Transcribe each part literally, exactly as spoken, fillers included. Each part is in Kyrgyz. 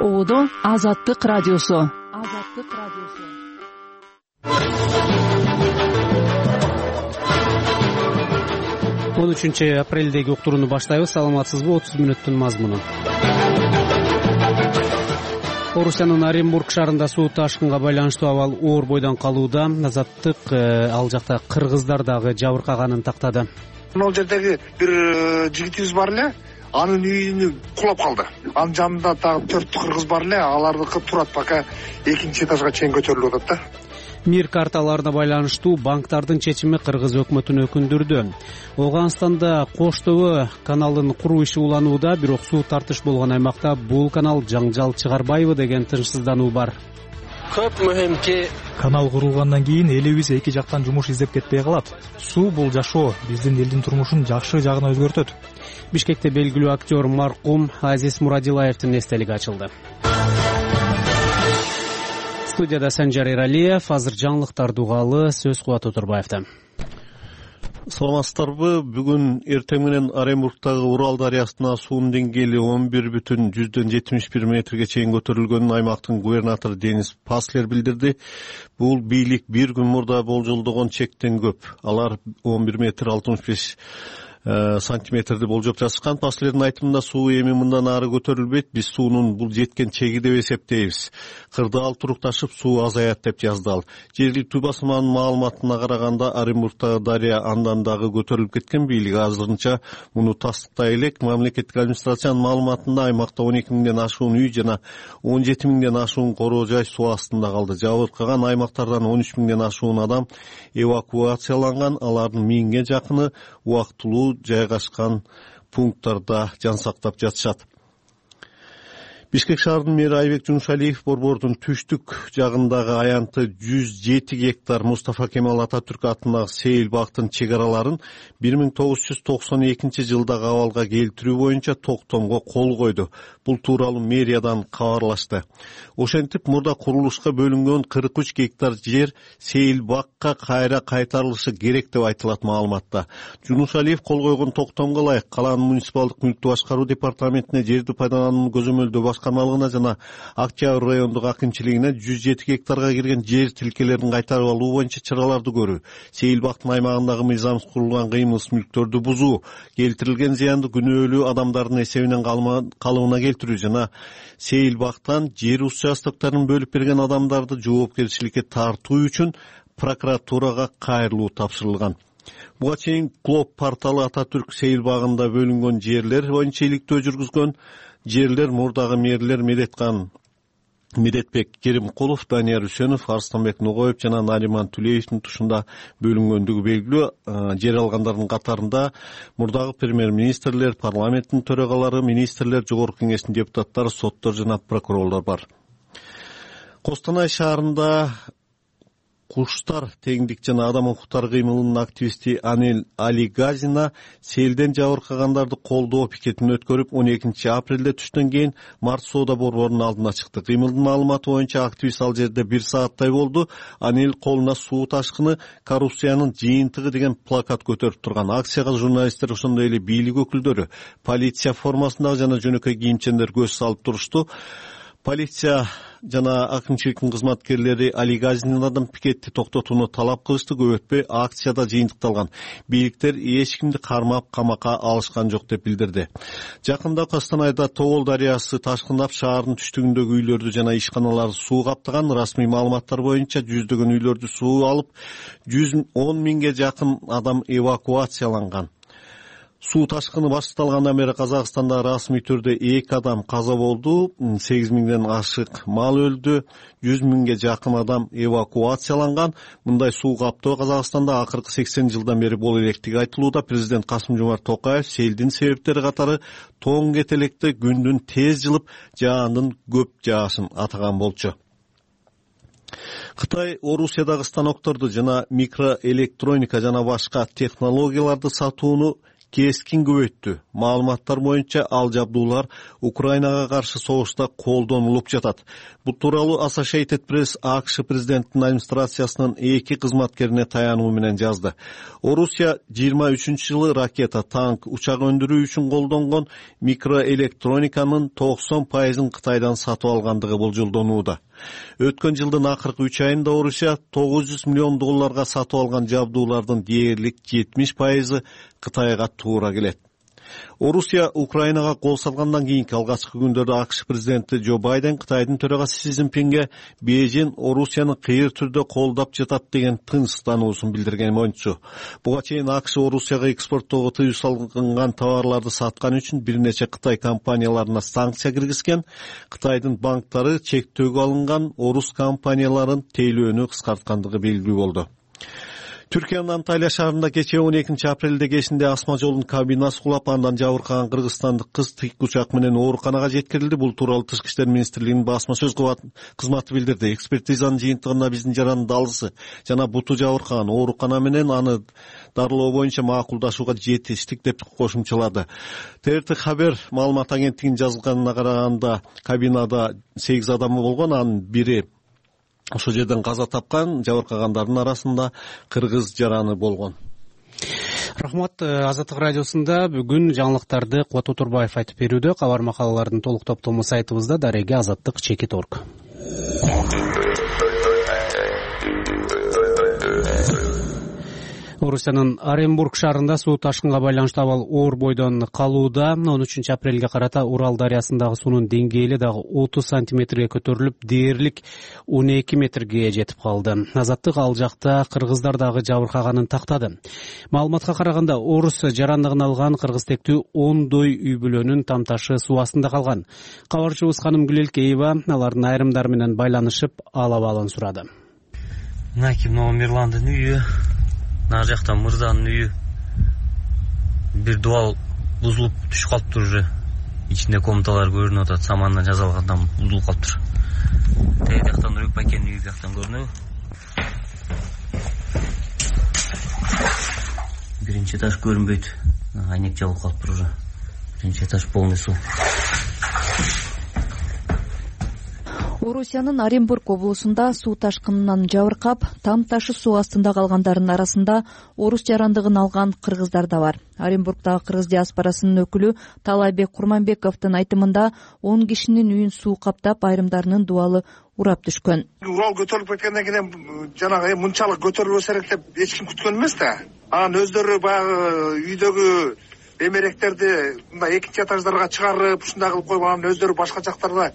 Оодо Азаттык радиосу. Азаттык радиосу. он үчүнчү апрелдеги уктурууну баштайбыз. Саламатсызбы? отуз мүнөттүн мазмуну. Орусиянын Оренбург шаарында суу ташкынга байланыштуу абал оор бойдон калууда. Азаттык ал жакта кыргыздар дагы жабыркаганын тактады. Могул жердеги бир жигитибиз бар эле, анын үйүнө кулап калды. Анын жанында дагы төрт кыргыз бар эле, алардыкы турат, пока экинчи этажга чейин көтөрүлүп атат да. Мир карталарына байланыштуу банктардын чечими кыргыз өкмөтүн өкүндүрдү. Ооганстанда Коштөбө каналын куруу иши уланууда, бирок суу тартыш болгон аймакта бул канал жаңжал чыгарбайбы деген тынчсыздануу бар. Көп мөһимки канал курулгандан кийин элибиз эки жактан жумуш издеп кетпей калат. Суу бул жашоо, биздин элдин турмушун жакшы жагына өзгөртөт. Бишкекте белгилүү актер маркум Азиз Мурадилаевдин эстелиги ачылды. Студияда Санжар Эралиев, азыр жаңылыктарды угалы, сөз Кубат Турбаевда. Саламатсыздарбы? Бүгүн эртең менен Оренбургдагы Урал дарыясына суунун деңгээли он бир бүтүн жүздөн жетимиш бир метрге чейин көтөрүлгөнүн аймактын губернатору Денис Паслер билдирди. Бул бийлик бир күн мурда болжолдогон чектен көп. Алар он бир метр алтымыш беш сантиметрди болжоп жатышкан. Паслердин айтымында суу эми мындан ары көтөрүлбөйт. Биз суунун бул жеткен чеги деп эсептейбиз. Кырдаал турукташып суу азаят деп жазды ал. Жергиликтүү басманын маалыматына караганда Оренбургдагы дарыя андан дагы көтөрүлүп кеткен. Бийлик азырынча муну тастыктай элек. Мамлекеттик администрациянын маалыматында аймакта он эки миңден ашуун үй жана он жети миңден ашуун короо жай суу астында калды. Жабыркаган аймактардан он үч миңден ашуун адам эвакуацияланган. Алардын миңге жакыны убактылуу жайгашкан пункттарда жан сактап жатышат. Бишкек шаарынын мэри Айбек Жунушалиев борбордун түштүк жагындагы аянты жүз жети гектар Мустафа Кемал Ататүрк атындагы Сейил бактын чек араларын бир миң тогуз жүз токсон экинчи жылдагы абалга келтирүү боюнча токтомго кол койду. Бул тууралуу мэриядан кабарлашты. Ошентип мурда курулушка бөлүнгөн кырк үч гектар жер Сейил бакка кайра кайтарылышы керек деп айтылат маалыматта. Жунушалиев кол койгон токтомго ылайык калаанын муниципалдык мүлктү башкаруу департаментине жерди пайдаланууну көзөмөлдөө башкармалыгына жана Октябрь райондук акимчилигине жүз жети гектарга кирген жер тилкелерин кайтарып алуу боюнча чараларды көрүү, Сейил бактын аймагындагы мыйзамсыз курулган кыймылсыз мүлктөрдү бузуу, келтирилген зыянды күнөөлүү адамдардын эсебинен калыбына келтирүү жана Сейил бактан жер участоктарын бөлүп берген адамдарды жоопкерчиликке тартуу үчүн прокуратурага кайрылуу тапшырылган. Буга чейин Клоп порталы Ататүрк Сейил багында бөлүнгөн жерлер боюнча иликтөө жүргүзгөн. Жерлер мурдагы мэрлер Медеткан Медетбек Керимкулов, Данияр Үсөнов, Арстанбек Нугоев жана Нариман Түлеевдин тушунда бөлүнгөндүгү белгилүү. Жер алгандардын катарында мурдагы премьер-министрлер, парламенттин төрагалары, министрлер, жогорку кеңештин депутаттары, соттор жана прокурорлор бар. Костанай шаарында Куштар теңдик жана адам укуктары кыймылынын активисти Анель Алигазина селден жабыркагандарды колдоо пикетин өткөрүп он экинчи апрелде түштөн кийин Март соода борборунун алдына чыкты. Кыймылдын маалыматы боюнча активист ал жерде бир сааттай болду. Анель колуна суу ташкыны коррупциянын жыйынтыгы деген плакат көтөрүп турган. Акцияга журналисттер, ошондой эле бийлик өкүлдөрү, полиция формасындагы жана жөнөкөй кийимчендер көз салып турушту. Полиция жана акимчиликтин кызматкерлери Алигазинадан пикетти токтотууну талап кылышты. Көп өтпөй акцияда жыйынтыкталган. Бийликтер эч кимди кармап камакка алышкан жок деп билдирди. Жакында Костанайда Тогол дарыясы ташкындап шаардын түштүгүндөгү үйлөрдү жана ишканаларды суу каптаган. Расмий маалыматтар боюнча жүздөгөн үйлөрдү суу алып, жүз он миңге жакын адам эвакуацияланган. Суу ташкыны башталгандан бери Казакстанда расмий түрдө эки адам каза болду, сегиз миңден ашык мал өлдү, жүз миңге жакын адам эвакуацияланган. Мындай суу каптоо Казакстанда акыркы сексен жылдан бери боло электиги айтылууда. Президент Касым-Жомарт Токаев селдин себептери катары тоң кетелекте күндүн тез жылып, жаандын көп жаашын атаган болчу. Кытай Орусиядагы станокторду жана микроэлектроника жана башка технологияларды сатууну кескин көбөйттү. Маалыматтар боюнча ал жабдуулар Украинага каршы согушта колдонулуп жатат. Бул тууралуу Associated Press АКШ президентинин администрациясынын эки кызматкерине таянуу менен жазды. Орусия жыйырма үчүнчү жылы ракета, танк, учак өндүрүү үчүн колдонгон микроэлектрониканын токсон пайызын Кытайдан сатып алгандыгы болжолдонууда. Өткөн жылдын акыркы үч айында Орусия тогуз жүз миллион долларга сатып алган жабдуулардын дээрлик жетимиш пайызы Кытайга туура келет. Орусия Украинага кол салгандан кийинки алгачкы күндөрдө АКШ президенти Джо Байден Кытайдын төрагасы Си Цзиньпинге Бейжин Орусияны кыйыр түрдө колдоп жатат деген тынчсыздануусун билдирген болчу. Буга чейин АКШ Орусияга экспорттоого тыюу салынган товарларды саткан үчүн бир нече Кытай компанияларына санкция киргизген. Кытайдын банктары чектөөгө алынган орус компанияларын тейлөөнү кыскарткандыгы белгилүү болду. Түркиянын Анталия шаарында кечээ он экинчи апрелде кечинде асма жолдун кабинасы кулап, андан жабыркаган кыргызстандык кыз тик учак менен ооруканага жеткирилди. Бул тууралуу Тышкы иштер министрлигинин басма сөз кызматы билдирди. Экспертизанын жыйынтыгында биздин жаранын далысы жана буту жабыркаган, оорукана менен аны дарылоо боюнча макулдашууга жетиштик деп кошумчалады. ТРТ Хабер маалымат агенттигинин жазганына караганда кабинада сегиз адамы болгон, анын бири ошол жерден каза тапкан. Жабыркагандардын арасында кыргыз жараны болгон. Рахмат. Азаттык радиосунда бүгүн жаңылыктарды Кубат Отурбаев айтып берүүдө. Кабар макалалардын толук топтому сайтыбызда дареги азаттык чекит орг. Орусиянын Оренбург шаарында суу ташкынга байланыштуу абал оор бойдон калууда. он үчүнчү апрелге карата Урал дарыясындагы суунун деңгээли дагы отуз сантиметрге көтөрүлүп, дээрлик он эки метрге жетип калды. Азаттык ал жакта кыргыздар дагы жабыркаганын тактады. Маалыматка караганда орус жарандыгын алган кыргыз тектүү ондой үй бүлөнүн тамташы суу астында калган. Кабарчыбыз Канымгүл Элкеева алардын айрымдары менен байланышып, ал абалын сурады. Мынакей мына Мирландын үйү, нары жакта Мырзанын үйү. Бир дуал бузулуп түшүп калыптыр уже. Ичинде комнаталар көрүнүп атат, самандан жасалгандан бузулуп калыптыр. Тээ жактан Нурбек Бакенин үйү жактан көрүнөбү. Биринчи этаж көрүнбөйт. Айнек жабылып калыптыр уже. Биринчи этаж полный суу. Орусиянын Оренбург облусунда суу ташкынынан жабыркап, там ташы суу астында калгандардын арасында орус жарандыгын алган кыргыздар да бар. Оренбургдагы кыргыз диаспорасынын өкүлү Талайбек Курманбековдун айтымында он кишинин үйүн суу каптап, айрымдарынын дубалы урап түшкөн. Урал көтөрүлүп кеткенден кийин жанагы мынчалык көтөрүлбөсө керек деп эч ким күткөн эмес да. Анан өздөрү баягы үйдөгү эмеректерди мындай экинчи этаждарга чыгарып, ушундай кылып коюп, анан өздөрү башка жактарда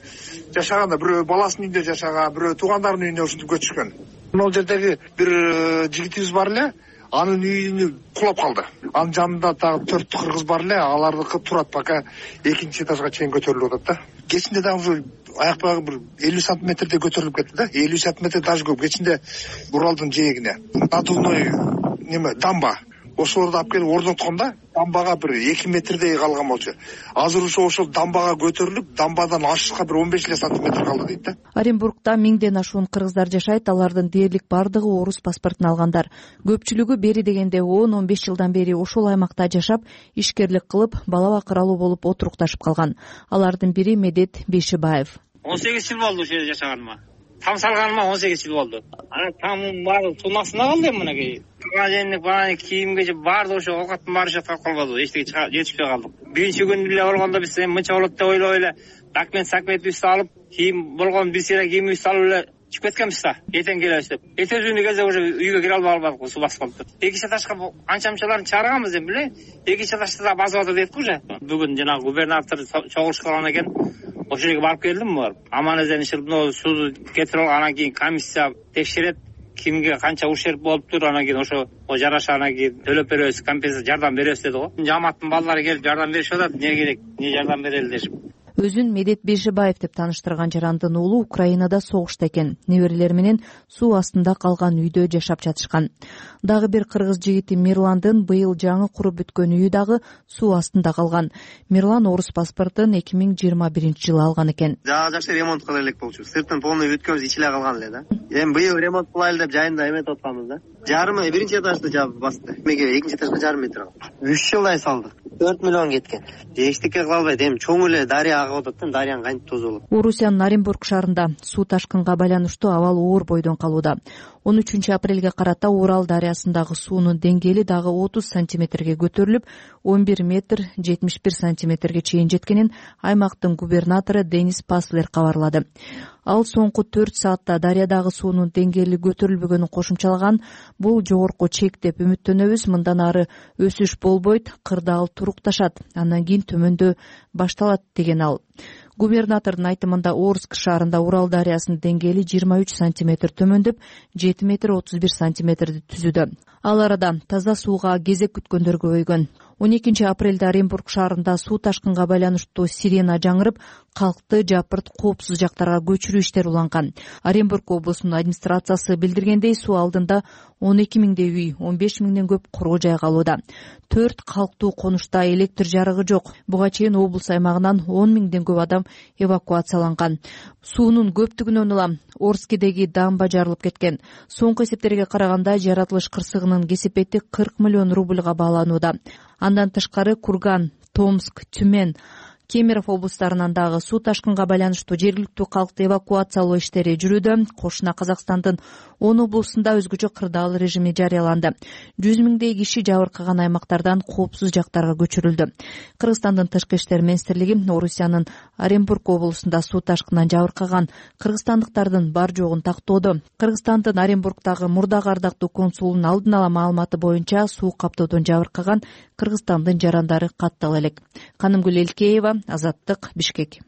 жашаганда, бирөө баласынын үйүндө жашаган, бирөө туугандарынын үйүнө ушинтип көчүшкөн. Могул жердеги бир жигитибиз бар эле, анын үйүнү кулап калды. Анын жанында дагы төрт кыргыз бар эле, алардыкы турат, пока экинчи этажга чейин көтөрүлүп атат да. Кечинде дагы ушу аяк багы бир элүү сантиметрдей көтөрүлүп кетти да. элүү сантиметр даже көп. Кечинде Уралдын жээгине надувной неме дамба, ошолорду алып келип орноткон да, дамбага бир эки метрдей калган болчу. Азыр ошо ошол дамбага көтөрүлүп, дамбадан ашышка бир он беш эле сантиметр калды дейт да. Оренбургда миңден ашуун кыргыздар жашайт. Алардын дээрлик бардыгы орус паспортун алгандар. Көпчүлүгү бери дегенде он он беш жылдан бери ошол аймакта жашап, ишкерлик кылып, бала бакыралуу болуп отурукташып калган. Алардын бири Медет Бейшибаев. он сегиз жыл болду ошол жерде жашаганыма. Там салганыма он сегиз жыл болду. Анан тамым баары суунун астында калды эми мынакей. Магазиндик бааны кийимге баардыгы ошо оокаттын баары жаткап калбады. Эчтеке жетишпей калдык. Биринчи күн эле болгондо биз эми мынча болот деп ойлоп эле документ сакметибизди алып, кийим болгон бир сыйра кийимибизди алып эле чыгып кеткенбиз да. Эртең келебиз деп. Эртең күнү кезде уже үйгө кире албай калдык, суу басып калыптыр. Экинчи этажга анча-мынчаларын чыгарганбыз эми беле. Экинчи этажда да басып атат дедик уже. Бүгүн жана губернатор чогулушкан экен. Ошол жерге барып келдим барып. Аман-эсен ишилип сууну кетирип алып, анан кийин комиссия текшерет, кимге канча ушерп болуптур, анан кийин ошо жараша анан кийин төлөп беребиз, компенсация жардам беребиз деди го. Жамааттын балдары келип жардам беришип атат, эмне керек, эмне жардам берели дешип. Өзүн Медет Бейшебаев деп тааныштырган жарандын уулу Украинада согушта экен. Неберелери менен суу астында калган үйдө жашап жатышкан. Дагы бир кыргыз жигити Мирландын быйыл жаңы куруп бүткөн үйү дагы суу астында калган. Мирлан орус паспортун эки миң жыйырма биринчи жылы алган экен. Жаа жакшы ремонт кыла элек болчу. Сыртын полный бүткөнбүз, ичи эле калган эле да. Эми быйыл ремонт кылайлы деп жайында эметип атканбыз да. Жарымы биринчи этажды жаап басты. Меге экинчи этажга жарым метр калды. үч жылдай салдык. төрт миллион кеткен. Эчтеке кыла албайт. Эми чоң эле дарыя агып атат да, дарыянын кантип тозу болот. Орусиянын Оренбург шаарында суу ташкынга байланыштуу абал оор бойдон калууда. он үчүнчү апрелге карата Урал дарыясындагы суунун деңгээли дагы отуз сантиметрге көтөрүлүп, он бир метр жетимиш бир сантиметрге чейин жеткенин аймактын губернатору Денис Паслер кабарлады. Ал соңку төрт саатта дарыядагы суунун деңгээли көтөрүлбөгөнүн кошумчалаган. Бул жогорку чек деп үмүттөнөбүз. Мындан ары өсүш болбойт, кырдаал турукташат, андан кийин төмөндөө башталат деген ал. Губернатордун айтымында Орск шаарында Урал дарыясынын деңгээли жыйырма үч сантиметр төмөндөп, жети метр отуз бир сантиметрди түзүүдө. Ал арада таза сууга кезек күткөндөр көбөйгөн. он экинчи апрелде Оренбург шаарында суу ташкынга байланыштуу сирена жаңырып, калкты жапырт коопсуз жактарга көчүрүү иштери уланган. Оренбург облусунун администрациясы билдиргендей, суу алдында он эки миңдей үй, он беш миңден көп короо жай калууда. Төрт калктуу конушта электр жарыгы жок. Буга чейин облус аймагынан он миңден көп адам эвакуацияланган. Суунун көптүгүнөн улам Орскедеги дамба жарылып кеткен. Соңку эсептерге караганда жаратылыш кырсыгынын кесепети кырк миллион рубльга бааланууда. Андан тышкары Курган, Томск, Тюмень, Кемерово облустарынан дагы суу ташкынга байланыштуу жергиликтүү калкты эвакуациялоо иштери жүрүүдө. Кошуна Казакстандын он облусунда өзгөчө кырдаал режими жарыяланды. жүз миңдей киши жабыркаган аймактардан коопсуз жактарга көчүрүлдү. Кыргызстандын тышкы иштер министрлиги Орусиянын Оренбург облусунда суу ташкындан жабыркаган кыргызстандыктардын бар жогун тактоодо. Кыргызстандын Оренбургдагы мурдагы ардактуу консулунун алдын ала маалыматы боюнча суу каптоодон жабыркаган Кыргызстандын жарандары каттала элек. Канымгүл Элкеева, Азаттык, Бишкек.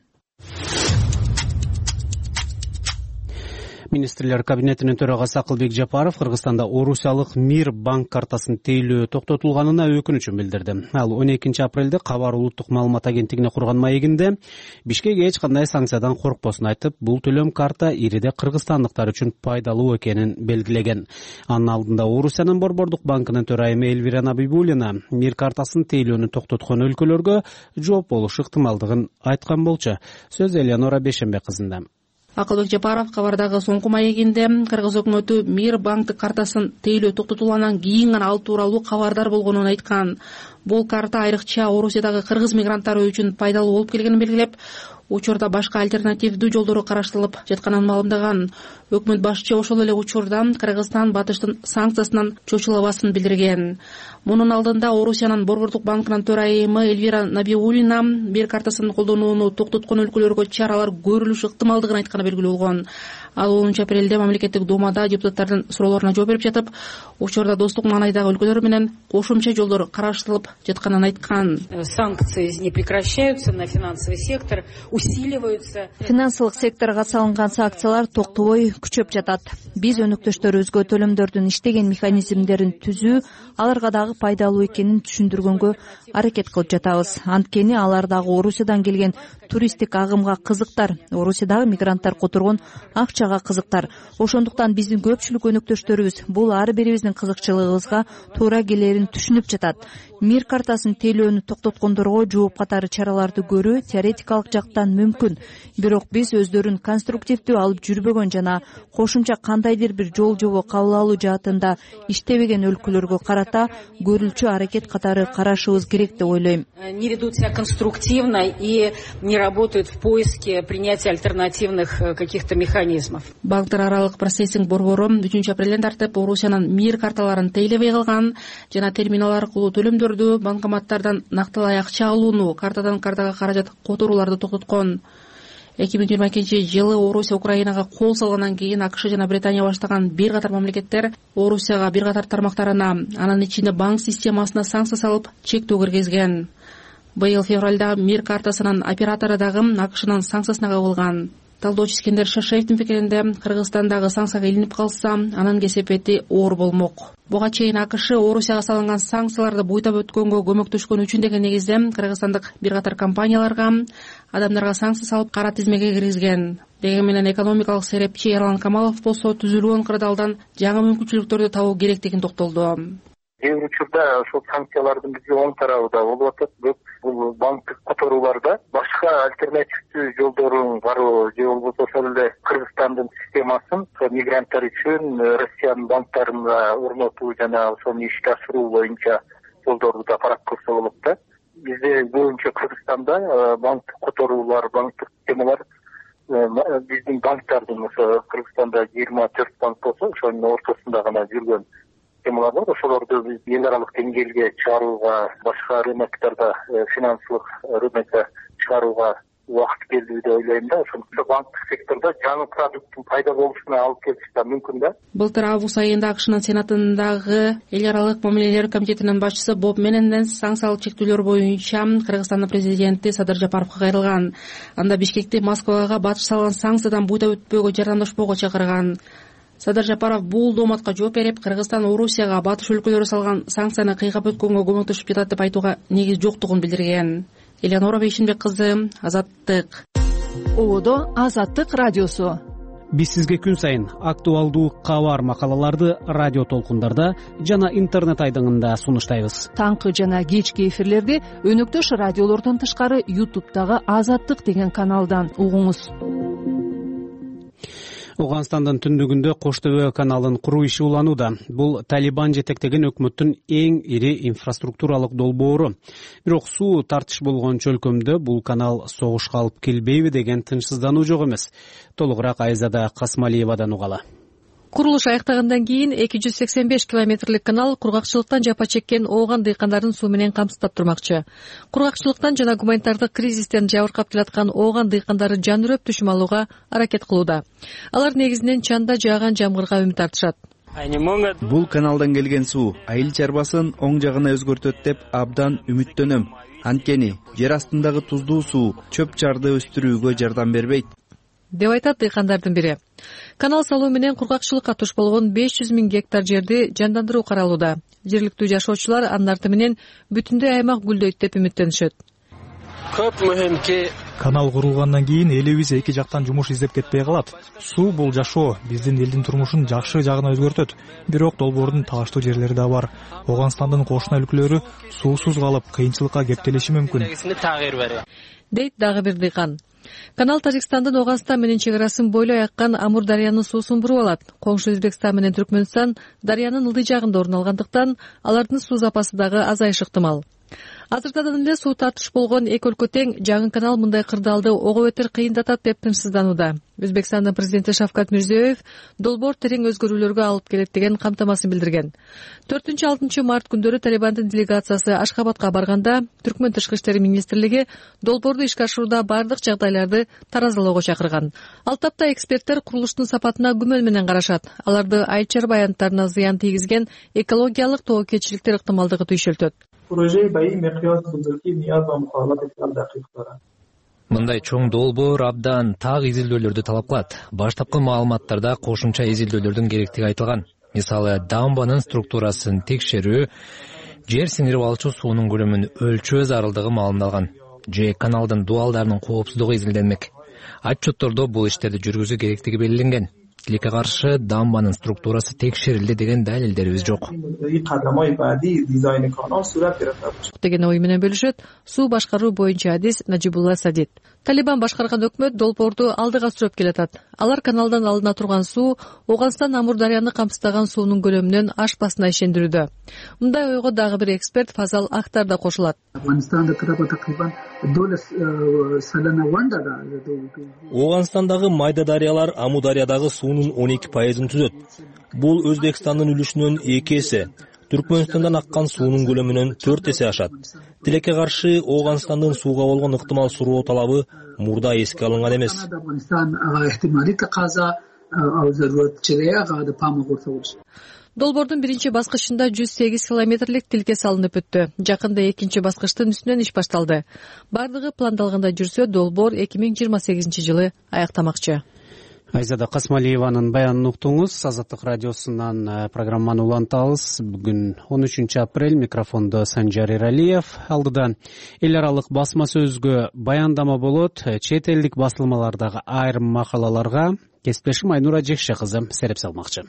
Министрлер кабинетинин төрагасы Акылбек Жапаров Кыргызстанда Орусиялык Мир банк картасын тейлөө токтотулганына өкүнүчүн билдирди. Ал он экинчи апрелде Кабар улуттук маалымат агенттигине курган маегинде Бишкек эч кандай санкциядан коркпосун айтып, бул төлөм карта ириде кыргызстандыктар үчүн пайдалуу экенин белгилеген. Анын алдында Орусиянын Борбордук банкынын төрайымы Элвира Набибуллина Мир картасын тейлөөнү токтоткон өлкөлөргө жооп болуш ыктымалдыгын айткан болчу. Сөз Элеонора Бешембек кызында. Акылбек Жапаров Кабардагы соңку маегинде Кыргыз өкмөтү Мир банктык картасын тейлөө токтотулгандан кийин гана ал тууралуу кабардар болгонун айткан. Бул карта айрыкча Орусиядагы кыргыз мигранттары үчүн пайдалуу болуп келгенин белгилеп, учурда башка альтернативдүү жолдору караштырылып жатканын маалымдаган. Өкмөт башчы ошол эле учурда Кыргызстан батыштын санкциясынан чочулабасын билдирген. Мунун алдында Орусиянын Борбордук банкынын төрайымы Элвира Набибуллина Мир картасын колдонууну токтоткон өлкөлөргө чаралар көрүлүшү ыктымалдыгын айтканы белгилүү болгон. Ал онунчу апрелде мамлекеттик думада депутаттардын суроолоруна жооп берип жатып, учурда достук маанайдагы өлкөлөр менен кошумча жолдор караштырылып жатканын айткан. Санкции не прекращаются на финансовый сектор, усиливаются. Финансылык секторго салынган санкциялар токтобой күчөп жатат. Биз өнөктөштөрүбүзгө төлөмдөрдүн иштеген механизмдерин түзүү, аларга дагы пайдалуу экенин түшүндүргөнгө аракет кылып жатабыз. Анткени алар дагы Орусиядан келген туристтик агымга кызыктар, Орусиядагы мигранттар которгон акчага кызыктар. Ошондуктан биздин көпчүлүк өнөктөштөрүбүз бул ар бирибиздин кызыкчылыгыбызга туура келерин түшүнүп жатат. Мир картасын тейлөөнү токтоткондорго жооп катары чараларды көрүү теоретикалык жактан мүмкүн. Бирок биз өздөрүн конструктивдүү алып жүрбөгөн жана кошумча кандайдыр бир жол жобо кабыл алуу жаатында иштебеген өлкөлөргө карата көрүлчү аракет катары карашыбыз керек деп ойлойм. Не ведут себя конструктивно и не работают в поиске принятия альтернативных каких-то механизмов. Банктар аралык процессинг борбору үчүнчү апрелден тартып Орусиянын Мир карталарын тейлебей калган жана терминал аркылуу төлөмдөрдү банкоматтардан накталай акча алууну, картадан картага каражат которууларды токтоткон. эки миң жыйырма экинчи жылы Орусия Украинага кол салгандан кийин АКШ жана Британия баштаган бир катар мамлекеттер Орусияга бир катар тармактарына, анын ичинде банк системасына санкция салып, чектөө киргизген. Быйыл февралда Мир картасынын оператору дагы АКШнын санкциясына кабылган. Талдоочу Искендер Шашаевдин пикиринде, Кыргызстандагы санкцияга илинип калса, анын кесепети оор болмок. буга чейин АКШ Орусияга салынган санкцияларды буйтап өткөнгө көмөктөшкөн үчүн деген негизде кыргызстандык бир катар компанияларга, адамдарга санкция салып кара тизмеге киргизген. Деген менен экономикалык серепчи Эрлан Камалов болсо түзүлгөн кырдаалдан жаңы мүмкүнчүлүктөрдү табуу керектигин токтолду. Кээ бир учурда ошол санкциялардын бизге оң тарабы да болуп атат, бирок бул банктык которууларда башка альтернативдүү жолдорун баруу же болбосо ошол эле Кыргызстандын системасын мигранттар үчүн Россиянын банктарына орнотуу жана ошону ишке ашыруу боюнча жолдорду да карап көрсө болот да. Бизде көбүнчө Кыргызстанда банктык которуулар, банктык системалар биздин банктардын ошо Кыргызстанда жыйырма төрт банк болсо ошонун ортосунда гана жүргөн темалар бар. Ошолорду биз эл аралык деңгээлге чыгарууга, башка рыноктарда финансылык рынокко чыгарууга убакыт келди деп ойлойм да. Ошондо банктык сектордо жаңы продукттун пайда болушуна алып келиш да мүмкүн да. Былтыр август айында АКШнын Сенатындагы эл аралык мамилелер комитетинин башчысы Боб Мененден санкциялык чектөөлөр боюнча Кыргызстандын президенти Садыр Жапаровго кайрылган. Анда Бишкекти Москвага батыш салган санкциядан буйтап өтпөөгө жардамдашпоого чакырган. Садыр Жапаров бул дооматка жооп берип, Кыргызстан Орусияга батыш өлкөлөрү салган санкцияны кыйгап өткөнгө көмөктөшүп жатат деп айтууга негиз жоктугун билдирген. Элеонора Бейшинбек кызы, Азаттык. Ободо Азаттык радиосу. Биз сизге күн сайын актуалдуу кабар макалаларды радио толкундарда жана интернет айдыңында сунуштайбыз. Таңкы жана кечки эфирлерди өнөктөш радиолордон тышкары ютубтагы Азаттык деген каналдан угуңуз. Ооганстандын түндүгүндө Кош Төбө каналын куруу иши уланууда. Бул Талибан жетектеген өкмөттүн эң ири инфраструктуралык долбоору. Бирок суу тартыш болгон чөлкөмдө бул канал согушка алып келбейби деген тынчсыздануу жок эмес. Толугураак Айзада Касмалиевадан угалы. Курулуш аяктагандан кийин эки жүз сексен беш километрлик канал кургакчылыктан жапа чеккен Ооган дыйкандарын суу менен камсыздап турмакчы. Кургакчылыктан жана гуманитардык кризистен жабыркап келаткан Ооган дыйкандары жан үрөп түшүм алууга аракет кылууда. Алар негизинен чанда жааган жамгырга үмүт артышат. Бул каналдан келген суу айыл чарбасын оң жагына өзгөртөт деп абдан үмүттөнөм. Анткени жер астындагы туздуу суу чөп чарды өстүрүүгө жардам бербейт деп айтат дыйкандардын бири. Канал салуу менен кургакчылыкка туш болгон беш жүз миң гектар жерди жандандыруу каралууда. Жергиликтүү жашоочулар анын арты менен бүтүндөй аймак гүлдөйт деп үмүттөнүшөт. Көп мөһим ки канал курулгандан кийин элибиз эки жактан жумуш издеп кетпей калат. Суу бул жашоо, биздин элдин турмушун жакшы жагына өзгөртөт. Бирок долбоордун талаштуу жерлери да бар. Ооганстандын кошуна өлкөлөрү суусуз калып, кыйынчылыкка кептелиши мүмкүн. Дейт дагы бир дыйкан. Канал Тажикстандын Ооганстан менен чек арасын бойлой аккан Амур дарыянын суусун буруп алат. Коңшу Өзбекстан менен Түркмөнстан дарыянын ылдый жагында орун алгандыктан алардын суу запасы дагы азайышы ыктымал. Азыртадан эле суу тартыш болгон эки өлкө тең, жаңы канал мындай кырдаалды ого бетер кыйындатат деп тынчсызданууда. Өзбекстандын президенти Шавкат Мирзиёев долбоор терең өзгөрүүлөргө алып келет деген камтамасын билдирген. төртүнчү алтынчы март күндөрү Талибандын делегациясы Ашхабадка барганда Түркмөн тышкы иштер министрлиги долбоорду ишке ашырууда бардык жагдайларды таразалоого чакырган. Ал тапта эксперттер курулуштун сапатына күмөн менен карашат. Аларды айыл чарба аянттарына зыян тийгизген экологиялык тобокелчиликтер ыктымалдыгы түйшөлтөт. Мындай чоң долбоор абдан так изилдөөлөрдү талап кылат. Баштапкы маалыматтарда кошумча изилдөөлөрдүн керектиги айтылган. Мисалы, дамбанын структурасын текшерүү, жер сиңирип алчу суунун көлөмүн өлчөө зарылдыгы маалымдалган. Же каналдын дуалдарынын коопсуздугу изилденмек. Отчеттордо бул иштерди жүргүзүү керектиги белгиленген. Тилекке каршы дамбанын структурасы текшерилди деген далилдерибиз жок деген ой менен бөлүшөт суу башкаруу боюнча адис Нажибулла Садид. Талибан башкарган өкмөт долбоорду алдыга сүрөп келатат. Алар каналдан алына турган суу Ооганстан Амур дарыяны камсыздаган суунун көлөмүнөн ашпасына ишендирүүдө. Мындай ойго дагы бир эксперт Фазал Актар да кошулат. Ооганстандагы майда дарыялар Амур дарыядагы суунун он эки пайызын түзөт. Бул Өзбекстандын үлүшүнөн эки эсе, Түркмөнстандан аккан суунун көлөмүнөн төрт эсе ашат. Тилекке каршы Ооганстандын сууга болгон ыктымал суроо талабы мурда эске алынган эмес. Долбоордун биринчи баскычында жүз сегиз километрлик тилке салынып өттү. Жакында экинчи баскычтын үстүнөн иш башталды. Бардыгы пландалгандай жүрсө, долбоор эки миң жыйырма сегизинчи жылы аяктамакчы. Айзада Касмалиеванын баянын уктуңуз. Азаттык радиосунан программаны улантабыз. Бүгүн он үчүнчү апрель. Микрофондо Санжар Эралиев. Алдыда эл аралык басма сөзгө баяндама болот. Чет элдик басылмалардагы айрым макалаларга кесиптешим Айнура Жекше кызы сереп салмакчы.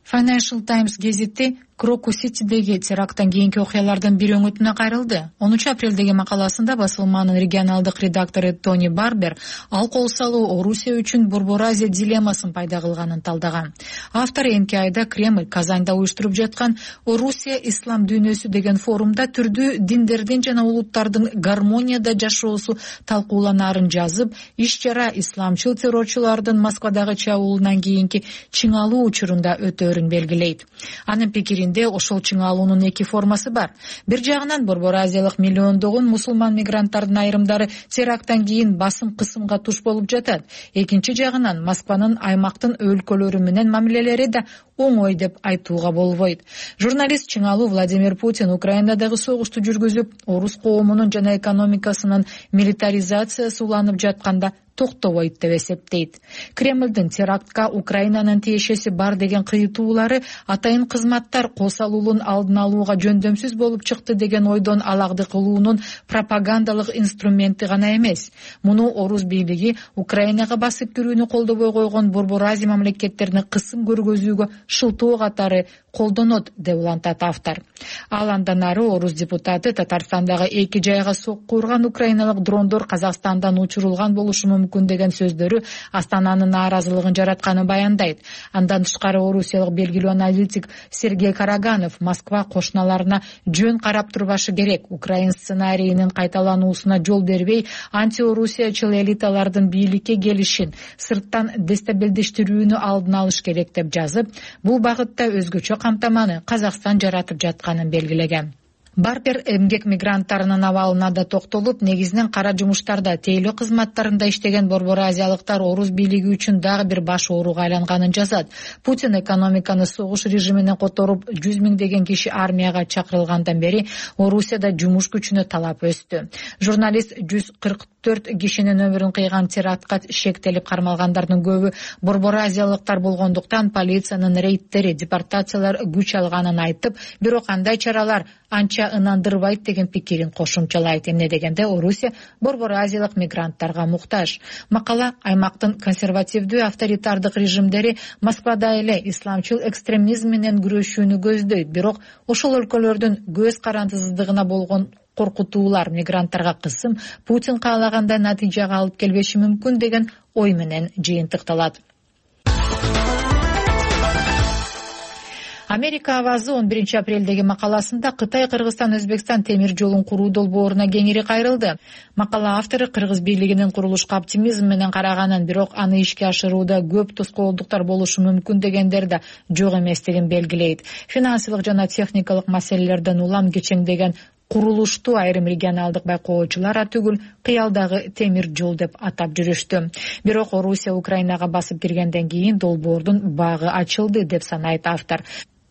Financial Times гезити Крокус-Ситидеги теракттан кийинки окуялардын бир өңүтүнө кайрылды. онунчу апрелдеги макаласында басылманын регионалдык редактору Тони Барбер ал кол салуу Орусия үчүн Борбор Азия дилеммасын пайда кылганын талдаган. Автор эмки айда Кремль Казанда уюштуруп жаткан Орусия ислам дүйнөсү деген форумда түрдүү диндердин жана улуттардын гармонияда жашоосу талкууланаарын жазып, иш-чара исламчыл террорчулардын Москвадагы чабуулунан кийинки чыңалуу учурунда өтөөрүн белгилейт. Анын пикиринде ошол чыңалуунун эки формасы бар. Бир жагынан Борбор Азиялык миллиондогон мусулман мигранттардын айрымдары теракттан кийин басым кысымга туш болуп жатат. Экинчи жагынан Москванын аймактын өлкөлөрү менен мамилелери да оңой деп айтууга болбойт. Журналист чыңалуу Владимир Путин Украинадагы согушту жүргүзүп, орус коомунун жана экономикасынын милитаризациясы уланып жатканда токтобойт деп эсептейт. Кремлдин терактка Украинанын тиешеси бар деген кыйытуулары атайын кызматтар косалуулун алдын алууга жөндөмсүз болуп чыкты деген ойдон алагды кылуунун пропагандалык инструменти гана эмес. Муну орус бийлиги Украинага басып кирүүнү колдобой койгон Борбор Азия мамлекеттерине кысым көргөзүүгө шылтоо катары колдонот деп улантат автор. Ал андан ары орус депутаты Татарстандагы эки жайга сокку урган украиналык дрондор Казакстандан учурулган болушу мүмкүн деген сөздөрү Астананын нааразылыгын жаратканын баяндайт. Андан тышкары орусиялык белгилүү аналитик Сергей Караганов Москва кошуналарына жөн карап турбашы керек, Украин сценарийинин кайталануусуна жол бербей, антиорусиячыл элиталардын бийликке келишин, сырттан дестабилдештирүүнү алдын алыш керек деп жазып, бул багытта өзгөчө камтаманы Казакстан жаратып жатканын белгилеген. Барбер эмгек мигранттарынын абалына да токтолуп, негизинен кара жумуштарда, тейлөө кызматтарында иштеген борбор азиялыктар орус бийлиги үчүн дагы бир баш ооруга айланганын жазат. Путин экономиканы согуш режимине которуп, жүз миңдеген киши армияга чакырылгандан бери Орусияда жумуш күчүнө талап өстү. Журналист жүз кырк төрт кишинин өмүрүн кыйган терактка шектелип кармалгандардын көбү борбор азиялыктар болгондуктан полициянын рейдтери, депортациялар күч алганын айтып, бирок кандай чаралар анча ынандырбайт деген пикирин кошумчалайт. Эмне дегенде Орусия борбор азиялык мигранттарга муктаж. Макала аймактын консервативдүү авторитардык режимдери Москвада эле исламчыл экстремизм менен күрөшүүнү көздөйт, бирок ошол өлкөлөрдүн көз карандысыздыгына болгон коркутуулар мигранттарга кысым Путин каалагандай натыйжага алып келбеши мүмкүн деген ой менен жыйынтыкталат. Америка авазы он биринчи апрелдеги макаласында Кытай Кыргызстан Өзбекстан темир жолун куруу долбооруна кеңири кайрылды. Макала автору Кыргыз бийлигинин курулушка оптимизм менен караганын, бирок аны ишке ашырууда көп тоскоолдуктар болушу мүмкүн дегендер да жок эместигин белгилейт. Финансылык жана техникалык маселелерден улам кечеңдеген курулушту айрым регионалдык байкоочулар түгүл кыялдагы темир жол деп атап жүрүштү. Бирок Орусия Украинага басып киргенден кийин долбоордун багы ачылды деп санайт автор.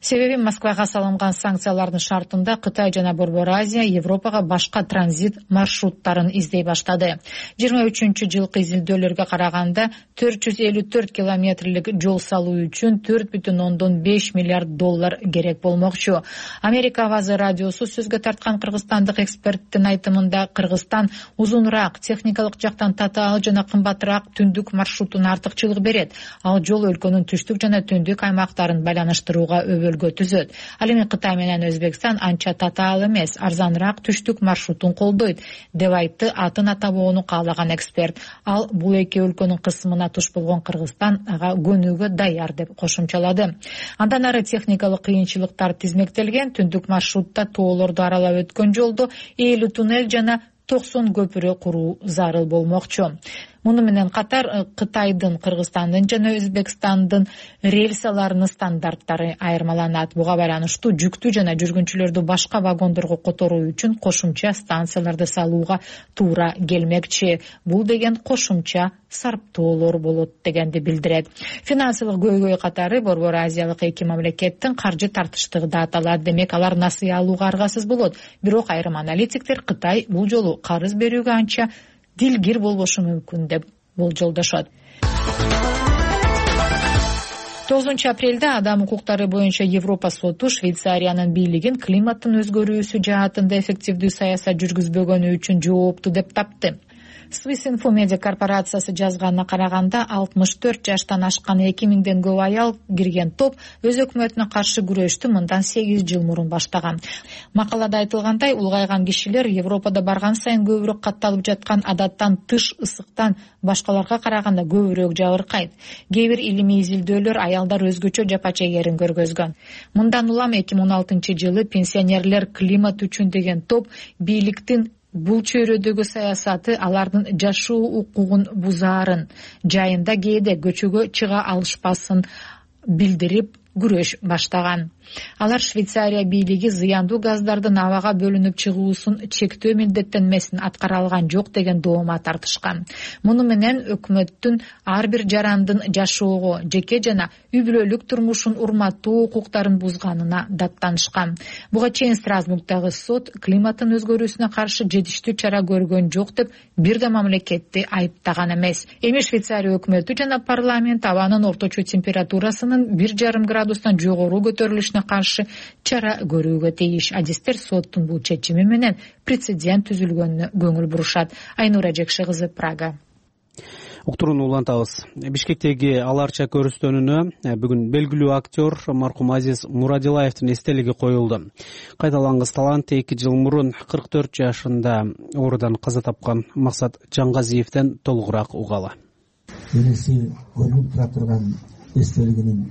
Себеби Москвага салынган санкциялардын шартында Кытай жана Борбор Азия Европага башка транзит маршруттарын издей баштады. жыйырма үчүнчү жылкы изилдөөлөргө караганда төрт жүз элүү төрт километрлик жол салуу үчүн төрт бүтүн ондон беш миллиард доллар керек болмокчу. Америка авазы радиосу сөзгө тарткан кыргызстандык эксперттин айтымында Кыргызстан узунураак, техникалык жактан татаал жана кымбатыраак түндүк маршрутуна артыкчылык берет. Ал жол өлкөнүн түштүк жана түндүк аймактарын байланыштырууга өлгө түзөт. Ал эми Кытай менен Өзбекстан анча татаал эмес, арзаныраак түштүк маршрутун колдойт деп айтты атын атабоону каалаган эксперт. Ал бул эки өлкөнүн кысымына туш болгон Кыргызстан ага көнүүгө даяр деп кошумчалады. Андан ары техникалык кыйынчылыктар тизмектелген, түндүк маршрутта тоолорду аралап өткөн жолдо элүү туннель жана токсон көпүрө куруу зарыл болмокчу. Муну менен катар Кытайдын, Кыргызстандын жана Өзбекстандын рельсаларынын стандарттары айырмаланат. Буга байланыштуу жүктүү жана жүргүнчүлөрдү башка вагондорго которуу үчүн кошумча станцияларды салууга туура келмекчи. Бул деген кошумча сарптоолор болот дегенди билдирет. Финансылык көйгөй катары борбор азиялык эки мамлекеттин каржы тартыштыгы да аталат. Демек алар насыя алууга аргасыз болот. Бирок айрым аналитиктер Кытай бул жолу карыз берүүгө анча дилгир болбошу мүмкүн деп болжолдошот. тогузунчу апрелде адам укуктары боюнча Европа соту Швейцариянын бийлигин климаттын өзгөрүүсү жаатында эффективдүү саясат жүргүзбөгөнү үчүн жоопту деп тапты. Swiss Info Media корпорациясы жазганына караганда алтымыш төрт жаштан ашкан эки миңден көп аял кирген топ өз өкмөтүнө каршы күрөштү мындан сегиз жыл мурун баштаган. Макалада айтылгандай, улгайган кишилер Европада барган сайын көбүрөөк катталып жаткан адаттан тыш ысыктан башкаларга караганда көбүрөөк жабыркайт. Кээ бир илимий изилдөөлөр аялдар өзгөчө жапа чегерин көргөзгөн. Мындан улам эки миң он алтынчы жылы пенсионерлер климат үчүн деген топ бийликтин бул чөйрөдөгү саясаты алардын жашоо укугун бузаарын, жайында кээде көчөгө чыга алышпасын билдирип күрөш баштаган. Алар Швейцария бийлиги зыяндуу газдардын абага бөлүнүп чыгуусун чектөө милдеттенмесин аткара алган жок деген доомат тартышкан. Муну менен өкмөттүн ар бир жарандын жашоого, жеке жана үй бүлөлүк турмушун урматтуу укуктарын бузганына даттанышкан. Буга чейин Страсбургдагы сот климаттын өзгөрүүсүнө каршы жетиштүү чара көргөн жок деп бир да мамлекетти айыптаган эмес. Эми Швейцария өкмөтү жана парламент абанын орточо температурасынын бир жарым градустан жогору көтөрүлүшүнө каршы чара көрүүгө тийиш. Адистер соттун бул чечими менен прецедент түзүлгөнүнө көңүл бурушат. Айнура Жекши кызы, Прага. Уктурууну улантабыз. Бишкектеги аларча көрүстөнүнө бүгүн белгилүү актер маркум Азиз Мурадилаевдин эстелиги коюлду. Кайталангыс талант эки жыл мурун кырк төрт жашында оорудан каза тапкан Максат Жаңгазиевден толугураак угалы. Келеси көрүнүп тура турган эстелигинин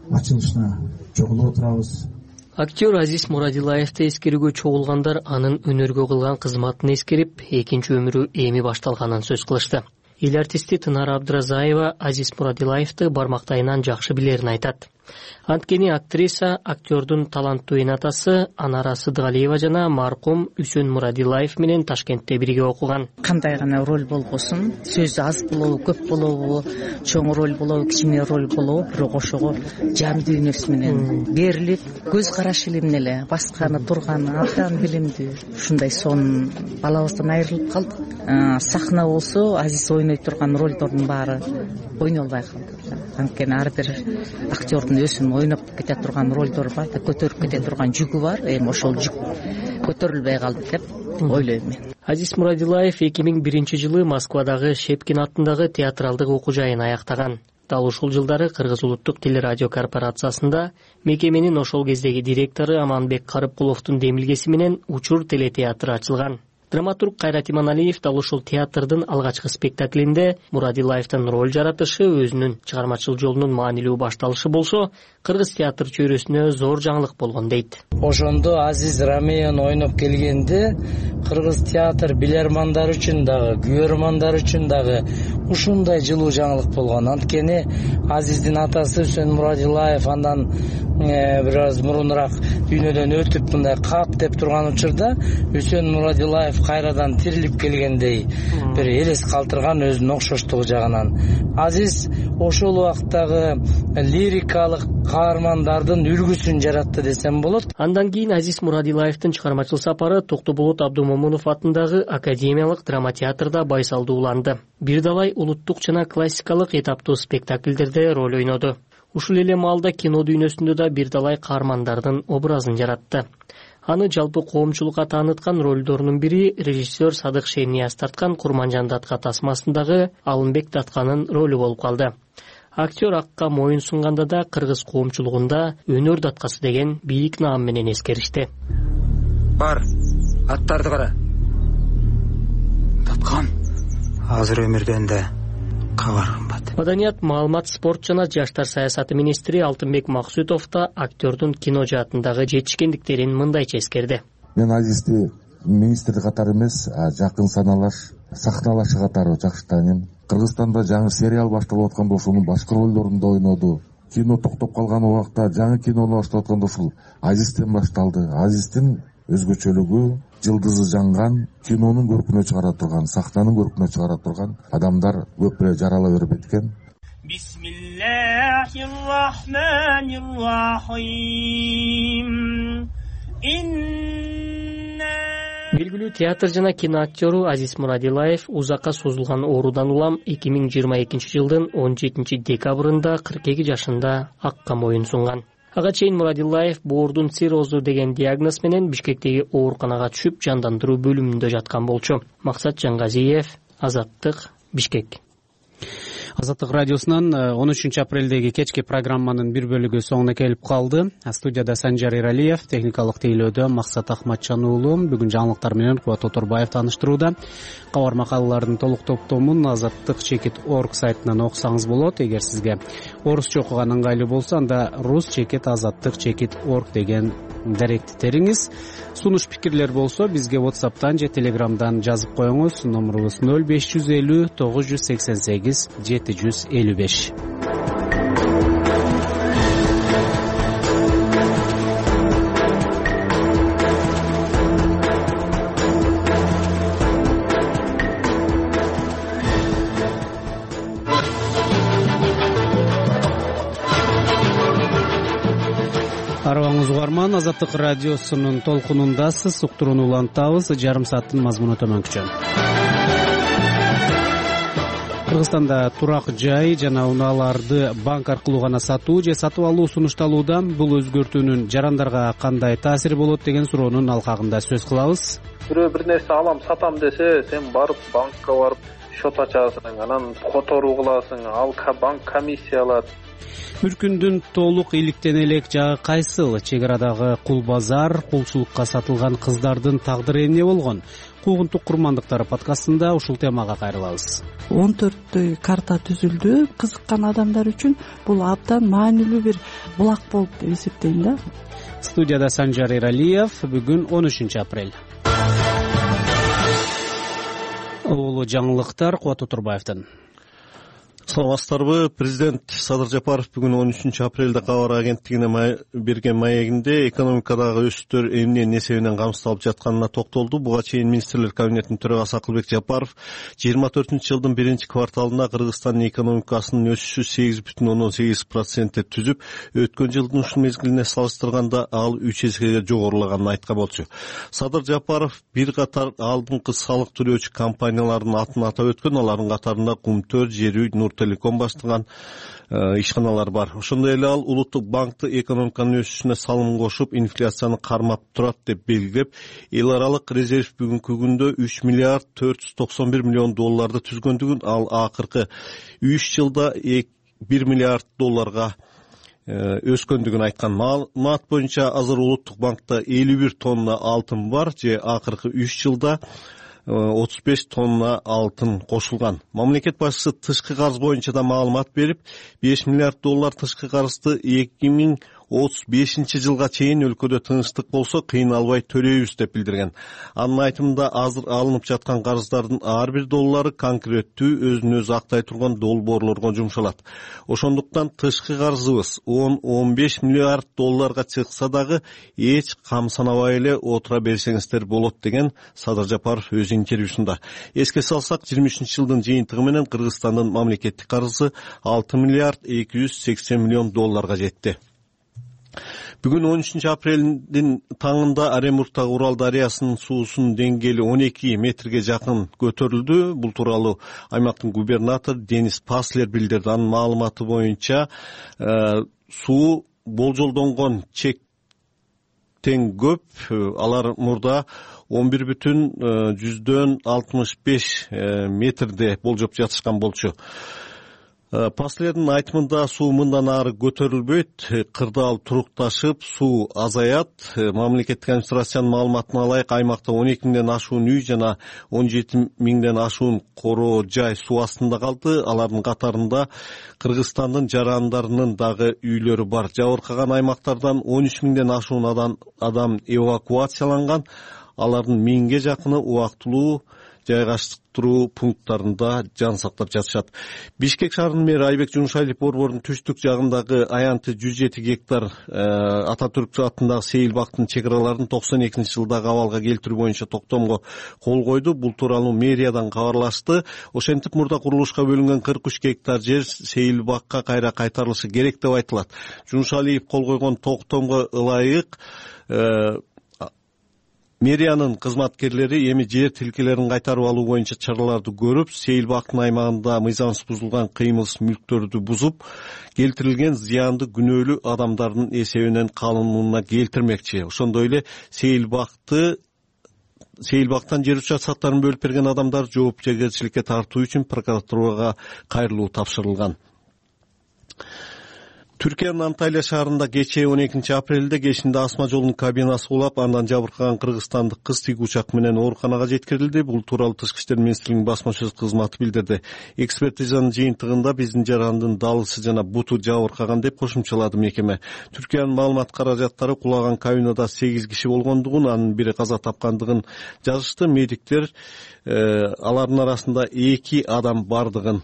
ачылышына чогулуп отурабыз. Актер Азиз Мурадилаевди эскерүүгө чогулгандар анын өнөргө кылган кызматын эскерип, экинчи өмүрү эми башталганын сөз кылышты. Эл артисти Тынар Абдыразаева Азиз Мурадилаевди бармактайынан жакшы билерин айтат. Анткени актриса актердун таланттуу энатасы Анара Сыдыгалиева жана маркум Үсөн Мурадилаев менен Ташкентте бирге окуган. Кандай гана роль болбосун, сөзү аз болобу, көп болобу, чоң роль болобу, кичине роль болобу, бирок ошого жан дүйнөсү менен берилип, көз карашы эле эмне эле, басканы, турганы абдан билимдүү. Ушундай сонун балабыздан айрылып калдык. Сахна болсо Азиз ойной турган ролдордун баары ойнолбой калды. Анткени ар бир актердун өзүнүн ойноп кете турган ролдору бар, көтөрүп кете турган жүгү бар. Эми ошол жүк көтөрүлбөй калды деп ойлойм мен. Азиз Мурадилаев эки миң биринчи жылы Москвадагы Шепкин атындагы театралдык окуу жайын аяктаган. Дал ушул жылдары Кыргыз улуттук телерадио корпорациясында мекеменин ошол кездеги директору Аманбек Карыпкуловдун демилгеси менен Учур телетеатры ачылган. Драматург Кайрат Иманалиев дал ушул театрдын алгачкы спектаклинде Мурадилаевдин роль жаратышы өзүнүн чыгармачыл жолунун маанилүү башталышы болсо, кыргыз театр чөйрөсүнө зор жаңылык болгон дейт. Ошондо Азиз Рамеян ойноп келгенде кыргыз театр билермандар үчүн дагы, күбөрмандар үчүн дагы ушундай жылуу жаңылык болгон. Анткени Азиздин атасы Үсөн Мурадилаев андан бир аз мурунураак дүйнөдөн өтүп мындай кап деп турган учурда Үсөн Мурадилаев кайрадан тирилип келгендей бир элес калтырган өзүнүн окшоштугу жагынан. Азиз ошол убактагы лирикалык каармандардын үлгүсүн жаратты десем болот. Андан кийин Азиз Мурадилаевдин чыгармачыл сапары Токтоболот Абдумомунов атындагы Академиялык драма театрда байсалдууланды. Бир далай улуттук жана классикалык этаптуу спектакльдерде роль ойноду. Ушул эле маалда кино дүйнөсүндө да бир далай каармандардын образын жаратты. Аны жалпы коомчулукка тааныткан ролдорунун бири режиссер Садык Шенияз тарткан Курманжан датка тасмасындагы Алымбек Датканын ролу болуп калды. Актер акка моюн сунганда да кыргыз коомчулугунда өнөр даткасы деген бийик наам менен эскеришти. Бар, аттарды кара. Даткан азыр өмүрдөн да кабар кымбат. Маданият, маалымат, спорт жана жаштар саясаты министри Алтынбек Максутов да актердун кино жаатындагы жетишкендиктерин мындайча эскерди. Мен Азизди министр катары эмес, жакын саналаш, сахналашы катары жакшы тааныйм. Кыргызстанда жаңы сериал башталып атканда ошонун башкы ролдорунда ойноду. Кино токтоп калган убакта жаңы кинону баштап атканда ушул Азизден башталды. Азиздин өзгөчөлүгү жылдызы жанган, кинонун көркүнө чыгара турган, сахнанын көркүнө чыгара турган адамдар көп эле жарала бербейт экен. Бисмиллахир-рахманир-рахим. Инна Белгилүү театр жана кино актеру Азиз Мурадилаев узакка созулган оорудан улам эки миң жыйырма экинчи жылдын он жетинчи декабрында кырк эки жашында акка моюн сунган. Ага чейин Мурадилаев боордун циррозу деген диагноз менен Бишкектеги ооруканага түшүп, жандандыруу бөлүмүндө жаткан болчу. Максат Жангазиев, Азаттык, Бишкек. Азаттык радиосунан он үчүнчү апрелдеги кечки программанын бир бөлүгү соңуна келип калды. Студияда Санжар Иралиев, техникалык тейлөөдө Максат Ахматжан уулу. Бүгүн жаңылыктар менен Кубат Оторбаев тааныштырууда. Кабар макалалардын толук топтомун азаттык чекит точка орг сайтынан окусаңыз болот. Эгер сизге орусча окуган ыңгайлуу болсо, анда рус чекит азаттык чекит точка орг деген даректи териңиз. Сунуш пикирлер болсо бизге WhatsApp'тан же Telegram'дан жазып коюңуз. Номерубуз ноль беш жүз элүү тогуз жүз сексен сегиз жети жүз элүү беш. Арыбаңыз угарман, Азаттык радиосунун толкунундасыз. Уктурууну улантабыз. Жарым сааттын мазмуну төмөнкүчө. Кыргызстанда турак жай жана унааларды банк аркылуу гана сатуу же сатып алуу сунушталууда. Бул өзгөртүүнүн жарандарга кандай таасири болот деген суроонун алкагында сөз кылабыз. Бирөө бир нерсе алам, сатам десе, сен барып банкка барып счет ачасың, анан которуу кыласың, ал банк комиссия алат. Мүркүндүн толук иликтен элек жагы кайсыл? Чек арадагы кул базар, кулчулукка сатылган кыздардын тагдыры эмне болгон? Куугунтук курмандыктары подкастында ушул темага кайрылабыз. он төрттөй карта түзүлдү. Кызыккан адамдар үчүн бул абдан маанилүү бир булак болуп деп эсептейм да. Студияда Санжар Иралиев. Бүгүн он үчүнчү апрель. Улуу жаңылыктар Кубат Оторбаевден. Саламатсыздарбы? Президент Садыр Жапаров бүгүн он үчүнчү апрелде кабар агенттигине берген маегинде экономикадагы өсүштөр эмне эмне себебинен камсыздалып жатканына токтолду. Буга чейин министрлер кабинетинин төрагасы Акылбек Жапаров жыйырма төртүнчү жылдын биринчи кварталында Кыргызстандын экономикасынын өсүшү сегиз бүтүн ондон сегиз процентте түзүп, өткөн жылдын ушул мезгилине салыштырганда ал үч эсеге жогорулаганын айткан болчу. Садыр Жапаров бир катар алдыңкы салык төлөөчү компаниялардын атын атап өткөн, алардын катарында Кумтөр, Жер үй, Нур Телеком баштаган ишканалар бар. Ошондой эле ал улуттук банкты экономиканын өсүшүнө салым кошуп, инфляцияны кармап турат деп белгилеп, эл аралык резерв бүгүнкү күндө үч миллиард төрт жүз токсон бир миллион долларды түзгөндүгүн, ал акыркы үч жылда бир миллиард долларга өскөндүгүн айткан. Маалымат боюнча азыр улуттук банкта элүү бир тонна алтын бар, же акыркы үч жылда отуз беш тонна алтын кошулган. Мамлекет башчысы тышкы карыз боюнча да маалымат берип, беш миллиард доллар тышкы карызды эки миң отуз бешинчи жылга чейин өлкөдө тынчтык болсо кыйналбай төлөйбүз деп билдирген. Анын айтымында азыр алынып жаткан карыздардын ар бир доллары конкреттүү өзүн өзү актай турган долбоорлорго жумшалат. Ошондуктан тышкы карызыбыз он он беш миллиард долларга чыкса дагы эч кам санабай эле отура берсеңиздер болот деген Садыр Жапаров өз интервьюсунда. Эске салсак, жыйырма үчүнчү жылдын жыйынтыгы менен Кыргызстандын мамлекеттик карызы алты миллиард эки жүз сексен миллион долларга жетти. Бүгүн он үчүнчү апрелдин таңында Оренбургдагы Урал дарыясынын суусунун деңгээли он эки метрге жакын көтөрүлдү. Бул тууралуу аймактын губернатору Денис Паслер билдирди. Анын маалыматы боюнча суу болжолдонгон чектен көп. Алар мурда он бир бүтүн жүздөн алтымыш беш метрде болжоп жатышкан болчу. Паслердин айтымында суу мындан ары көтөрүлбөйт, кырдаал турукташып, суу азаят. Мамлекеттик администрациянын маалыматына ылайык, аймакта он эки миңден ашуун үй жана он жети миңден ашуун короо жай суу астында калды. Алардын катарында Кыргызстандын жарандарынын дагы үйлөрү бар. Жабыркаган аймактардан он үч миңден ашуун адам, адам эвакуацияланган. Алардын миңге жакыны убактылуу жайгаштыруу пункттарында жан сактап жатышат. Бишкек шаарынын мэри Айбек Жумшайлиев борбордун түштүк жагындагы аянты жүз жети гектар Ататүрк атындагы сейил бактын чек араларын токсон экинчи жылдагы абалга келтирүү боюнча токтомго кол койду. Бул тууралуу мэриядан кабарлашты. Ошентип мурда курулушка бөлүнгөн кырк үч гектар жер сейил бакка кайра кайтарылышы керек деп айтылат. Жумшалиев кол койгон токтомго ылайык мэриянын кызматкерлери эми жер тилкелерин кайтарып алуу боюнча чараларды көрүп, сейил бактын аймагында мыйзамсыз бузулган кыймылсыз мүлктөрдү бузуп келтирилген зыянды күнөөлүү адамдардын эсебинен канунуна келтирмекчи. Ошондой эле сейил бакты Сейил бактан жер участкаларын бөлүп берген адамдар жоопкерчиликке тартуу үчүн прокуратурага кайрылуу тапшырылган. Түркиянын Анталия шаарында кечээ он экинчи апрелде кечинде асма жолунун кабинасы кулап, андан жабыркаган кыргызстандык кыз тиги учак менен ооруканага жеткирилди. Бул тууралуу Тышкы иштер министрлигинин басма сөз кызматы билдирди. Экспертизанын жыйынтыгында биздин жарандын далысы жана буту жабыркаган деп кошумчалады мекеме. Түркиянын маалымат каражаттары кулаган кабинада сегиз киши болгондугун, анын бири каза тапкандыгын жазышты. Медиктер алардын арасында эки адам бардыгын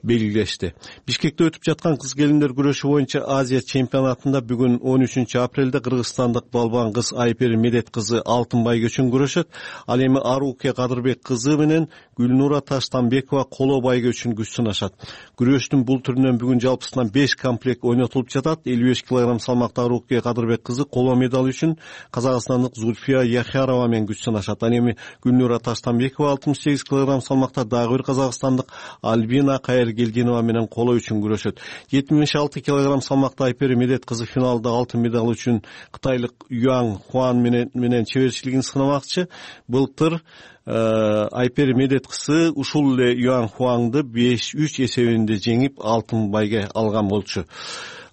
белгилешти. Бишкекте өтүп жаткан кыз келиндер күрөшү боюнча Азия чемпионатында бүгүн он үчүнчү апрелде кыргызстандык балбан кыз Айпери Медет кызы алтын байгөчүн күрөшөт. Ал эми Аруке Кадырбек кызы менен Гүлнура Таштанбекова коло байгөчүн күч сынашат. Күрөштүн бул түрүнөн бүгүн жалпысынан беш комплект ойнотулуп жатат. элүү беш килограмм салмакта Аруке Кадырбек кызы коло медаль үчүн казакстандык Зульфия Яхярова менен күч сынашат. Ал эми Гүлнура Таштанбекова алтымыш сегиз килограмм салмакта дагы бир казакстандык Альбина Кайр Гелдинова менен коло үчүн күрөшөт. жетимиш алты килограмм салмакта Айпери Медет кызы финалда алтын медаль үчүн кытайлык Юан Хуан менен менен чеберчилигин сынамакчы. Былтыр Айпери Медет кызы ушул эле Юан Хуанды беш үч эсебинде жеңип алтын байге алган болчу.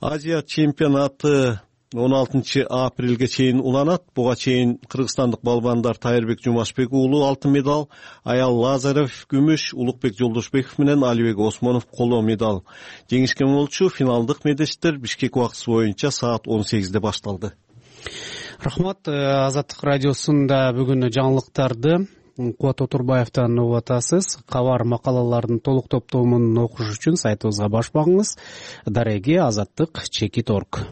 Азия чемпионаты он алтынчы апрелге чейин уланат. Буга чейин кыргызстандык балбандар Тайырбек Жумашбек уулу алтын медаль, Аял Лазарев күмүш, Улукбек Жолдошбеков менен Алибек Осмонов коло медаль жеңишкен болчу. Финалдык медештер Бишкек убактысы боюнча саат он сегизде башталды. Рахмат. Азаттык радиосунда бүгүн жаңылыктарды Кубат Отурбаевтан угуп атасыз. Кабар макалалардын толук топтомун окуш үчүн сайтыбызга баш багыңыз. Дареги азаттык чекит орг.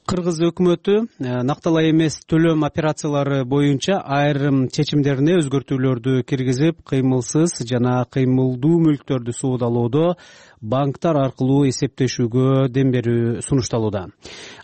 Кыргыз өкмөтү накталай эмес төлөм операциялары боюнча айрым чечимдерине өзгөртүүлөрдү киргизип, кыймылсыз жана кыймылдуу мүлктөрдү суудалоодо банктар аркылуу эсептешүүгө дем берүү сунушталууда.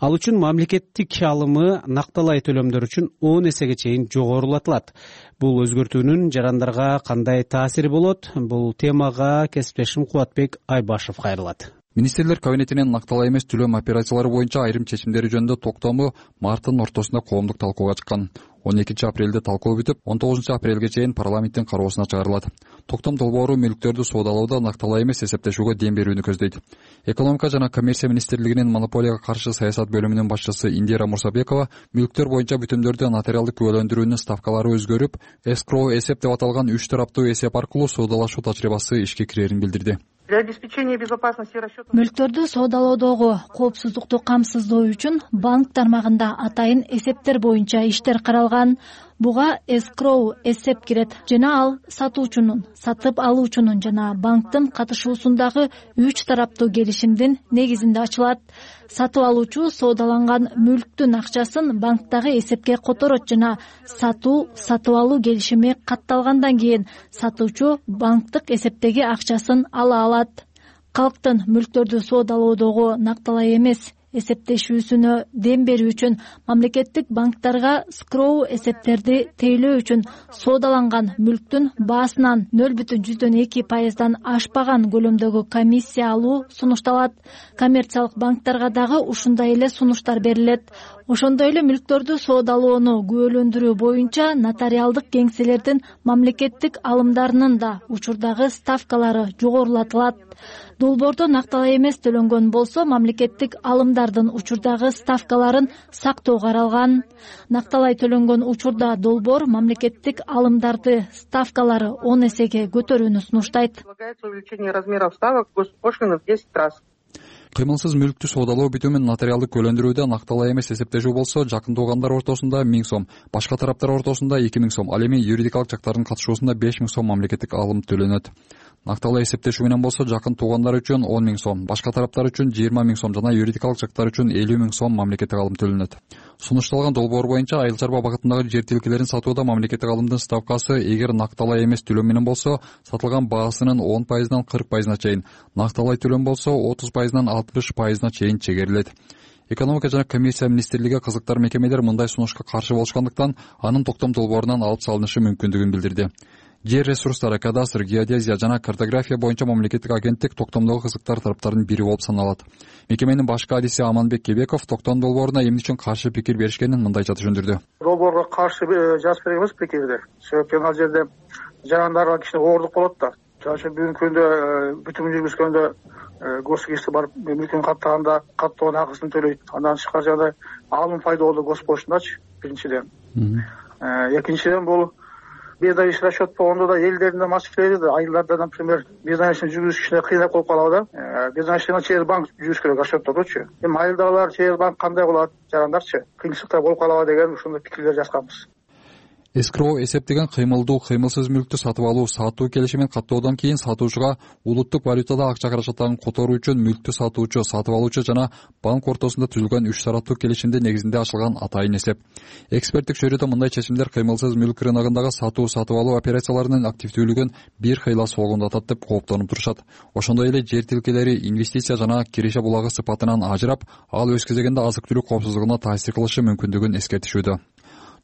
Ал үчүн мамлекеттик алымы накталай төлөмдөр үчүн он эсеге чейин жогорулатылат. Бул өзгөртүүнүн жарандарга кандай таасири болот? Бул темага кесиптешим Кубатбек Айбашев кайрылат. Министрлер кабинетинин накталай эмес төлөм операциялары боюнча айрым чечимдери жөнүндө токтому марттын ортосунда коомдук талкууга чыккан. он экинчи апрелде талкуу бүтүп, он тогузунчу апрелге чейин парламенттин кароосуна чыгарылат. Токтом долбоору мүлктөрдү суудалоодо накталай эмес эсептешүүгө дем берүүнү көздөйт. Экономика жана коммерция министрлигинин монополияга каршы саясат бөлүмүнүн башчысы Индира Мурсабекова мүлктөр боюнча бүтүмдөрдү нотариалдык күбөлөндүрүүнүн ставкалары өзгөрүп, эскроу эсеп деп аталган үч тараптуу эсеп аркылуу суудалашуу тажрыйбасы ишке кирерин билдирди. Для обеспечения безопасности расчетов мүлктөрдү соодалоодогу коопсуздукту камсыздоо үчүн банк тармагында атайын эсептер боюнча иштер каралган. Буга эскроу эсеп кирет жана ал сатуучунун, сатып алуучунун жана банктын катышуусундагы үч тараптуу келишимдин негизинде ачылат. Сатып алуучу соодаланган мүлктүн акчасын банктагы эсепке которот жана сатуу, сатып алуу келишими катталгандан кийин сатуучу банктык эсептеги акчасын ала алат. Калктын мүлктөрдү соодалоодогу накталай эмес эсептешүүсүнө дем берүү үчүн мамлекеттик банктарга скроу эсептерди тейлөө үчүн соодаланган мүлктүн баасынан нөл бүтүн жүздөн эки пайыздан ашпаган көлөмдөгү комиссия алуу сунушталат. Коммерциялык банктарга дагы ушундай эле сунуштар берилет. Ошондой эле мүлктөрдү соодалоону күбөлөндүрүү боюнча нотариалдык кеңселердин мамлекеттик алымдарынын да учурдагы ставкалары жогорулатылат. Долбоордо накталай эмес төлөнгөн болсо мамлекеттик алымдардын учурдагы ставкаларын сактоо каралган. Накталай төлөнгөн учурда долбоор мамлекеттик алымдарды ставкалары он эсеге көтөрүүнү сунуштайт. Увеличение размеров ставок госпошлины в десять раз. Кыймылсыз мүлктү соодалоо бүтүмүн нотариалдык күбөлөндүрүүдө накталай эмес эсептешүү болсо жакын туугандар ортосунда миң сом, башка тараптар ортосунда эки миң сом, ал эми юридикалык жактардын катышуусунда беш миң сом мамлекеттик алым төлөнөт. Накталуу эсептешүү менен болсо жакын туугандар үчүн он миң сом, башка тараптар үчүн жыйырма миң сом жана юридикалык жактар үчүн элүү миң сом мамлекеттик алым төлөнөт. Сунушталган долбоор боюнча айыл чарба багытындагы жер тилкелерин сатууда мамлекеттик алымдын ставкасы эгер накталай эмес төлөм менен болсо сатылган баасынын он пайызынан кырк пайызына чейин, накталай төлөм болсо отуз пайызынан алтымыш пайызына чейин чегерилет. Экономика жана комиссия министрлиги кызыктар мекемелер мындай сунушка каршы болушкандыктан анын токтом долбоорунан алып салынышы мүмкүндүгүн билдирди. Жер ресурстары, кадастр, геодезия жана картография боюнча мамлекеттик агенттик токтомдогу кызыктар тараптардын бири болуп саналат. Мекеменин башкы адиси Аманбек Кебеков токтом долбооруна эмне үчүн каршы пикир беришкенин мындайча түшүндүрдү. Долбоорго каршы жазып беребиз пикирди. Себеби ал жерде жарандарга кичине оорлук болот да. Жана бүгүнкү күндө бүтүн жүргүзгөндө госугерчилик барып мүлкүн каттаганда каттоонун акысын төлөйт. Андан тышкары жагдай алым пайдалуу госпошундачы биринчиден. Экинчиден бул бездачный расчет болгондо да элдердин да маселелери да айылдарда, например, бездачный жүргүзүш кичине кыйынап калып калабы да. Бездачный через банк жүрүш керек расчеттодучу. Эми айылдагылар через банк кандай болот, жарандарчы кыйынчылыктар болуп калабы деген ушундай пикирлер жазганбыз. Эскроу эсептеген кыймылдуу, кыймылсыз мүлктү сатып алуу, сатуу келишимин каттоодон кийин сатуучуга улуттук валютада акча каражаттарын которуу үчүн мүлктү сатуучу, сатып алуучу жана банк ортосунда түзүлгөн үч тараптуу келишимдин негизинде ачылган атайын эсеп. Эксперттик чөйрөдө мындай чечимдер кыймылсыз мүлк рыногундагы сатуу, сатып алуу операцияларынын активдүүлүгүн бир кыйла согундатат деп кооптонуп турушат. Ошондой эле жер тилкелери инвестиция жана киреше булагы сыпатынан ажырап, ал өз кезегинде азык-түлүк коопсуздугуна таасир кылышы мүмкүндүгүн эскертишүүдө.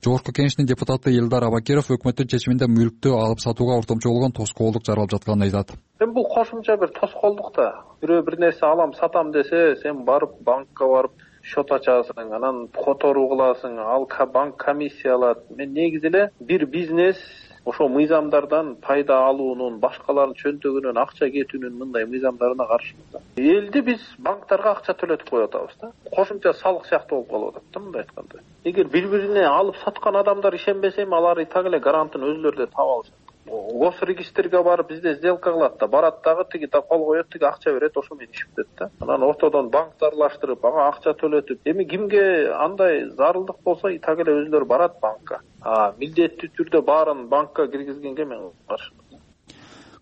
Жогорку Кеңештин депутаты Элдар Абакиров өкмөттүн чечиминде мүлктү алып сатууга ортомчу болгон тоскоолдук жаралып жатканын айтат. Эми бул кошумча бир тоскоолдук да. Бирөө бир нерсе алам, сатам десе, сен барып банкка барып счет ачасың, анан которуу кыласың, ал банк комиссия алат. Мен негизи эле бир бизнес ошо мыйзамдардан пайда алуунун, башкалардын чөнтөгүнөн акча кетүүнүн мындай мыйзамдарына каршымыз. Элди биз банктарга акча төлөтүп коюп атабыз да. Кошумча салык сыяктуу болуп калып атат да мындай айтканда. Эгер бири-бирине алып саткан адамдар ишенбесе, алар и так эле гарантын өзүлөрү да таап алышат. Госрегистрге барып бизде сделка кылат да, барат дагы тиги да кол коет, тиги акча берет, ошо менен иш бүтөт да. Анан ортодон банкты аралаштырып, ага акча төлөтүп, эми кимге андай зарылдык болсо, и так эле өзүлөрү барат банкка. А милдеттүү түрдө баарын банкка киргизгенге мен каршымын.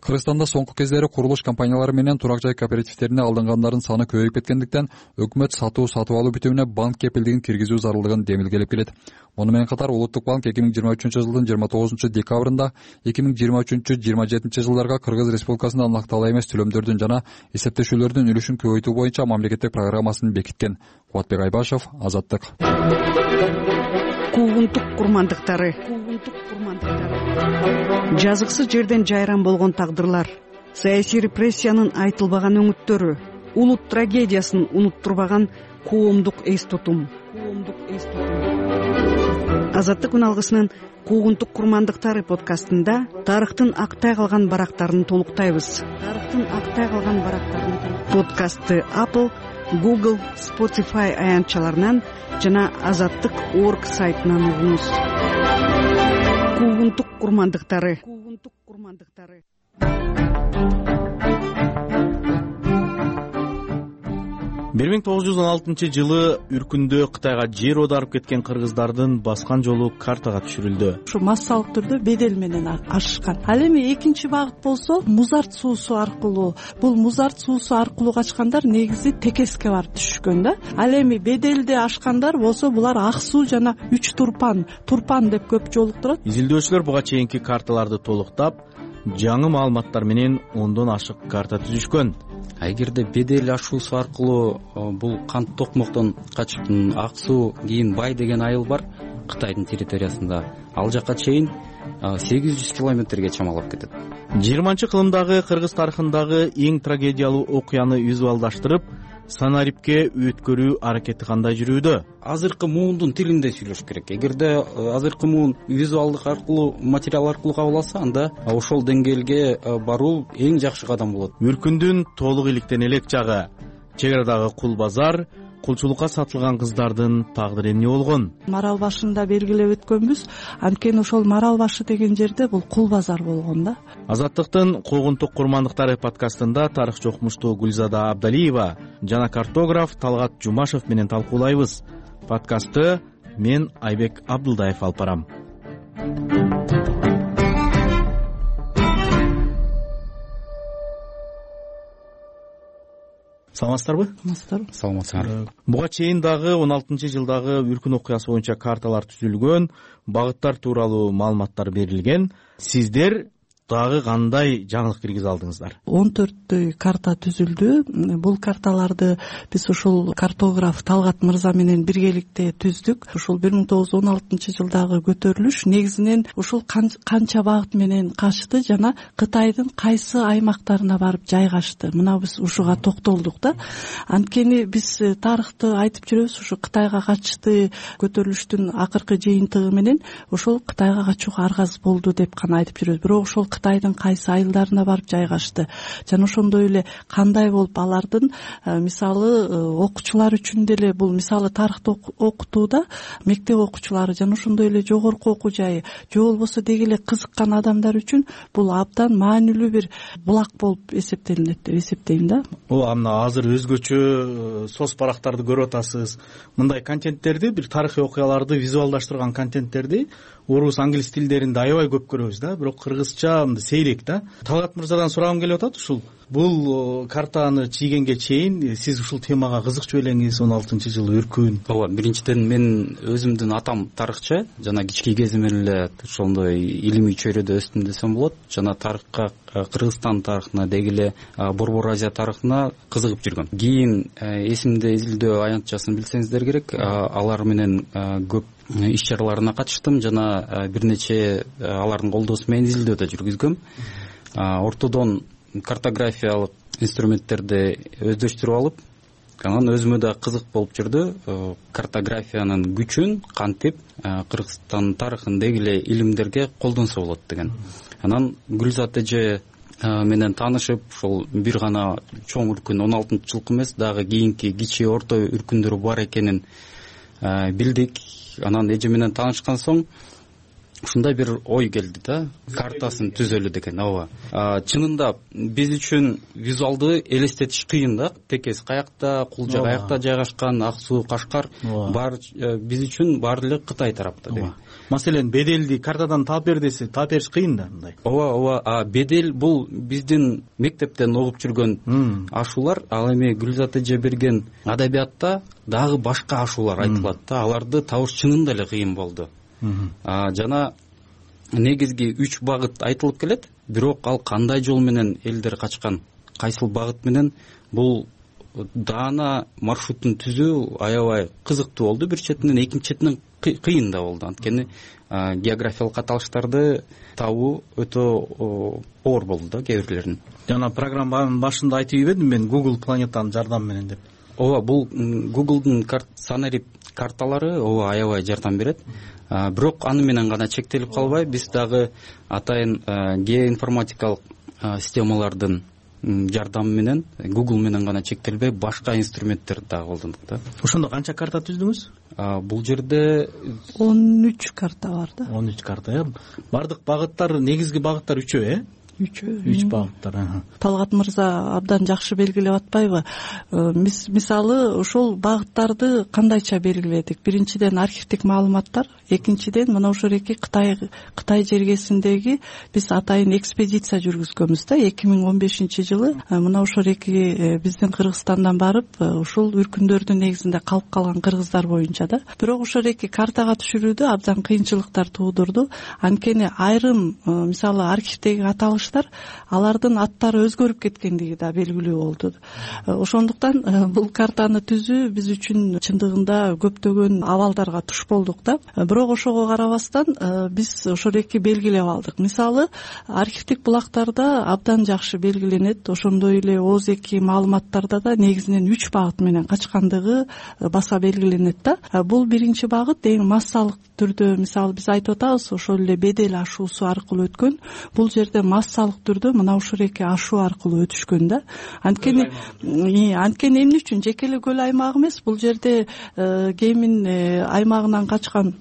Кыргызстанда соңку кездери курулуш компаниялары менен турак жай кооперативтерине алынгандардын саны көбөйүп кеткендиктен өкмөт сатуу сатып алуу бүтүмүнө банк кепилдигин киргизүү зарылдыгын демилгелеп келет. Муну менен катар Улуттук банк эки миң жыйырма үчүнчү жылдын жыйырма тогузунчу декабрында эки миң жыйырма үчүнчү жыйырма жетинчи жылдарга Кыргыз Республикасында накталуу эмес төлөмдөрдүн жана эсептешүүлөрдүн үлүшүн көбөйтүү боюнча мамлекеттик программасын бекиткен. Кубатбек Айбашев, Азаттык. Куугунтук курмандыктары. Жазыксыз жерден жайран болгон тагдырлар, саясий репрессиянын айтылбаган өңүттөрү, улут трагедиясын унуттурбаган коомдук эс тутум. Азаттык үналгысынын Куугунтук курмандыктары подкастында тарыхтын актай калган барактарын толуктайбыз. Тарыхтын актай калган барактарын подкастты Apple, Google, Spotify аянтчаларынан жана азаттык точка орг сайтынан угуңуз. Куугунтук курмандыктары. Куугунтук курмандыктары. бир миң тогуз жүз он алтынчы жылы Үркүндө Кытайга жер оодарып кеткен кыргыздардын баскан жолу картага түшүрүлдү. Ушу массалык түрдө бедел менен ашышкан. Ал эми экинчи багыт болсо музарт суусу аркылуу. Бул музарт суусу аркылуу качкандар негизи Текеске барып түшүшкөн да. Ал эми беделди ашкандар болсо булар Ак суу жана үч турпан, турпан деп көп жолуктурат. Изилдөөчүлөр буга чейинки карталарды толуктап, жаңы маалыматтар менен ондон ашык карта түзүшкөн. Эгерде бедел ашуусу аркылуу бул кант токмоктон качып Ак суу кийин Бай деген айыл бар Кытайдын территориясында, ал жака чейин сегиз жүз километрге чамалап кетет. жыйырманчы кылымдагы кыргыз тарыхындагы эң трагедиялуу окуяны визуалдаштырып, санарипке өткөрүү аракети кандай жүрүүдө? Азыркы муундун тилинде сүйлөш керек. Эгерде азыркы муун визуалдык аркылуу, материал аркылуу кабыл алса, анда ошол деңгээлге баруу эң жакшы кадам болот. Үркүндүн толук иликтен элек жагы, чек арадагы кул базар, кулчулукка сатылган кыздардын тагдыры эмне болгон? Марал башында белгилеп өткөнбүз, анткени ошол Марал башы деген жерде бул кул базар болгон да. Азаттыктын Куугунтук курмандыктары подкастында тарыхчы окумуштуу Гүлзада Абдалиева жана картограф Талгат Жумашев менен талкуулайбыз. Подкастты мен Айбек Абдылдаев алып барам. саламатсыздарбы? саламатсыздарбы. саламатсыздар. Буга чейин дагы он алтынчы жылдагы үркүн окуясы боюнча карталар түзүлгөн, багыттар тууралуу маалыматтар берилген. Сиздер дагы кандай жаңылык киргизе алдыңыздар? он төрттөй карта түзүлдү. Бул карталарды биз ушул картограф Талгат мырза менен биргеликте түздүк. Ушул бир миң тогуз жүз он алтынчы жылдагы көтөрүлүш негизинен ушул канча багыт менен качты жана Кытайдын кайсы аймактарына барып жайгашты. Мына биз ушуга токтолдук да. Анткени биз тарыхты айтып жүрөбүз, ушу Кытайга качты көтөрүлүштүн акыркы жыйынтыгы менен ошол Кытайга качууга аргасыз болду деп гана айтып жүрөбүз. Бирок ошол Кытайдын кайсы айылдарына барып жайгашты жана ошондой эле кандай болуп алардын мисалы окуучулар үчүн деле бул мисалы тарыхты окутууда мектеп окуучулары жана ошондой эле жогорку окуу жайы же болбосо деги эле кызыккан адамдар үчүн бул абдан маанилүү бир булак болуп эсептелинет деп эсептейм да. Ооба, мына азыр өзгөчө соц барактарды көрүп атасыз. Мындай контенттерди, бир тарыхый окуяларды визуалдаштырган контенттерди орус, англис тилдеринде аябай көп көрөбүз да, бирок кыргызча мындай сейрек да. Талгат мырзадан сурагым келип атат, ушул бул картаны чийгенге чейин сиз ушул темага кызыкчу белеңиз, он алтынчы жылы үркүн. Ооба, биринчиден мен өзүмдүн атам тарыхчы, жана кички кезимден эле ошондой илимий чөйрөдө өстүм десем болот. Жана тарыхка, Кыргызстан тарыхына, деги эле Борбор Азия тарыхына кызыгып жүргөм. Кийин эсимде изилдөө аянтчасын билсеңиздер керек, алар менен көп иш чараларына катыштым жана бир нече алардын колдоосу менен изилдөө да жүргүзгөм. Ортодон картографиялык инструменттерди өздөштүрүп алып, анан өзүмө да кызык болуп жүрдү картографиянын күчүн кантип Кыргызстан тарыхын деги эле илимдерге колдонсо болот деген. Анан Гүлзат эже менен таанышып, ошол бир гана чоң үркүн он алтынчы жылкы эмес, дагы кийинки кичи орто үркүндөр бар экенин билдик. Анан эже менен таанышкан соң ушундай бир ой келди да, картасын түзөлү деген. Ооба. Чынында биз үчүн визуалды элестетиш кыйын да. Текес каякта, Кулжа каякта жайгашкан, Ак суу, Кашкар бар биз үчүн баары эле Кытай тарапта деген. Маселен, беделди картадан таап бер десе, таап бериш кыйын да мындай. Ооба, ооба. Бедел бул биздин мектептен окуп жүргөн ашуулар. Ал эми Гүлзат эже берген адабиятта дагы башка ашуулар айтылат да. Аларды табыш чынында эле кыйын болду. Жана негизги үч багыт айтылып келет, бирок ал кандай жол менен элдер качкан, кайсыл багыт менен, бул даана маршрутун түзүү аябай кызыктуу болду бир четинен, экинчи четинен кыйын да болду. Анткени географиялык аталыштарды табуу өтө оор болду да кээ бирлерин. Жана программанын башында айтып ийбедим мен Google планетанын жардамы менен деп. Ооба, бул Google'дун санарип карталары ооба аябай жардам берет. Бирок аны менен гана чектелип калбай, биз дагы атайын геоинформатикалык системалардын жардамы менен, Google менен гана чектелбей, башка инструменттерди дагы колдондук да. Ошондо канча карта түздүңүз? Бул жерде он үч карта бар да. он үч карта, э? Бардык багыттар, негизги багыттар үчөө, э? үчөө үч багыттар. Талгат мырза абдан жакшы белгилеп атпайбы? Мисалы ошол багыттарды кандайча белгиледик? Биринчиден архивдик маалыматтар, экинчиден мына ошол эки Кытай Кытай жергесиндеги биз атайын экспедиция жүргүзгөнбүз да. эки миң он бешинчи жылы мына ошол эки биздин Кыргызстандан барып ушул үркүндөрдүн негизинде калып калган кыргыздар боюнча да. Бирок ошол эки картага түшүрүүдө абдан кыйынчылыктар туудурду. Анткени айрым мисалы архивдеги аталыш алардын аттары өзгөрүп кеткендиги да белгилүү болду. Ошондуктан бул картаны түзүү биз үчүн чындыгында көптөгөн абалдарга туш болдук да. Бирок ошого карабастан биз ошол эки белгилеп алдык. Мисалы, архивдик булактарда абдан жакшы белгиленет, ошондой эле ооз эки маалыматтарда да негизинен үч багыт менен качкандыгы баса белгиленет да. Бул биринчи багыт эң массалык түрдө, мисалы биз айтып атабыз, ошол эле бедел ашуусу аркылуу өткөн. Бул жерде массалык түрдө мына ушул эки ашуу аркылуу өтүшкөн да. Анткени анткени эмне үчүн жеке эле көл аймагы эмес, бул жерде Кемин аймагынан качкан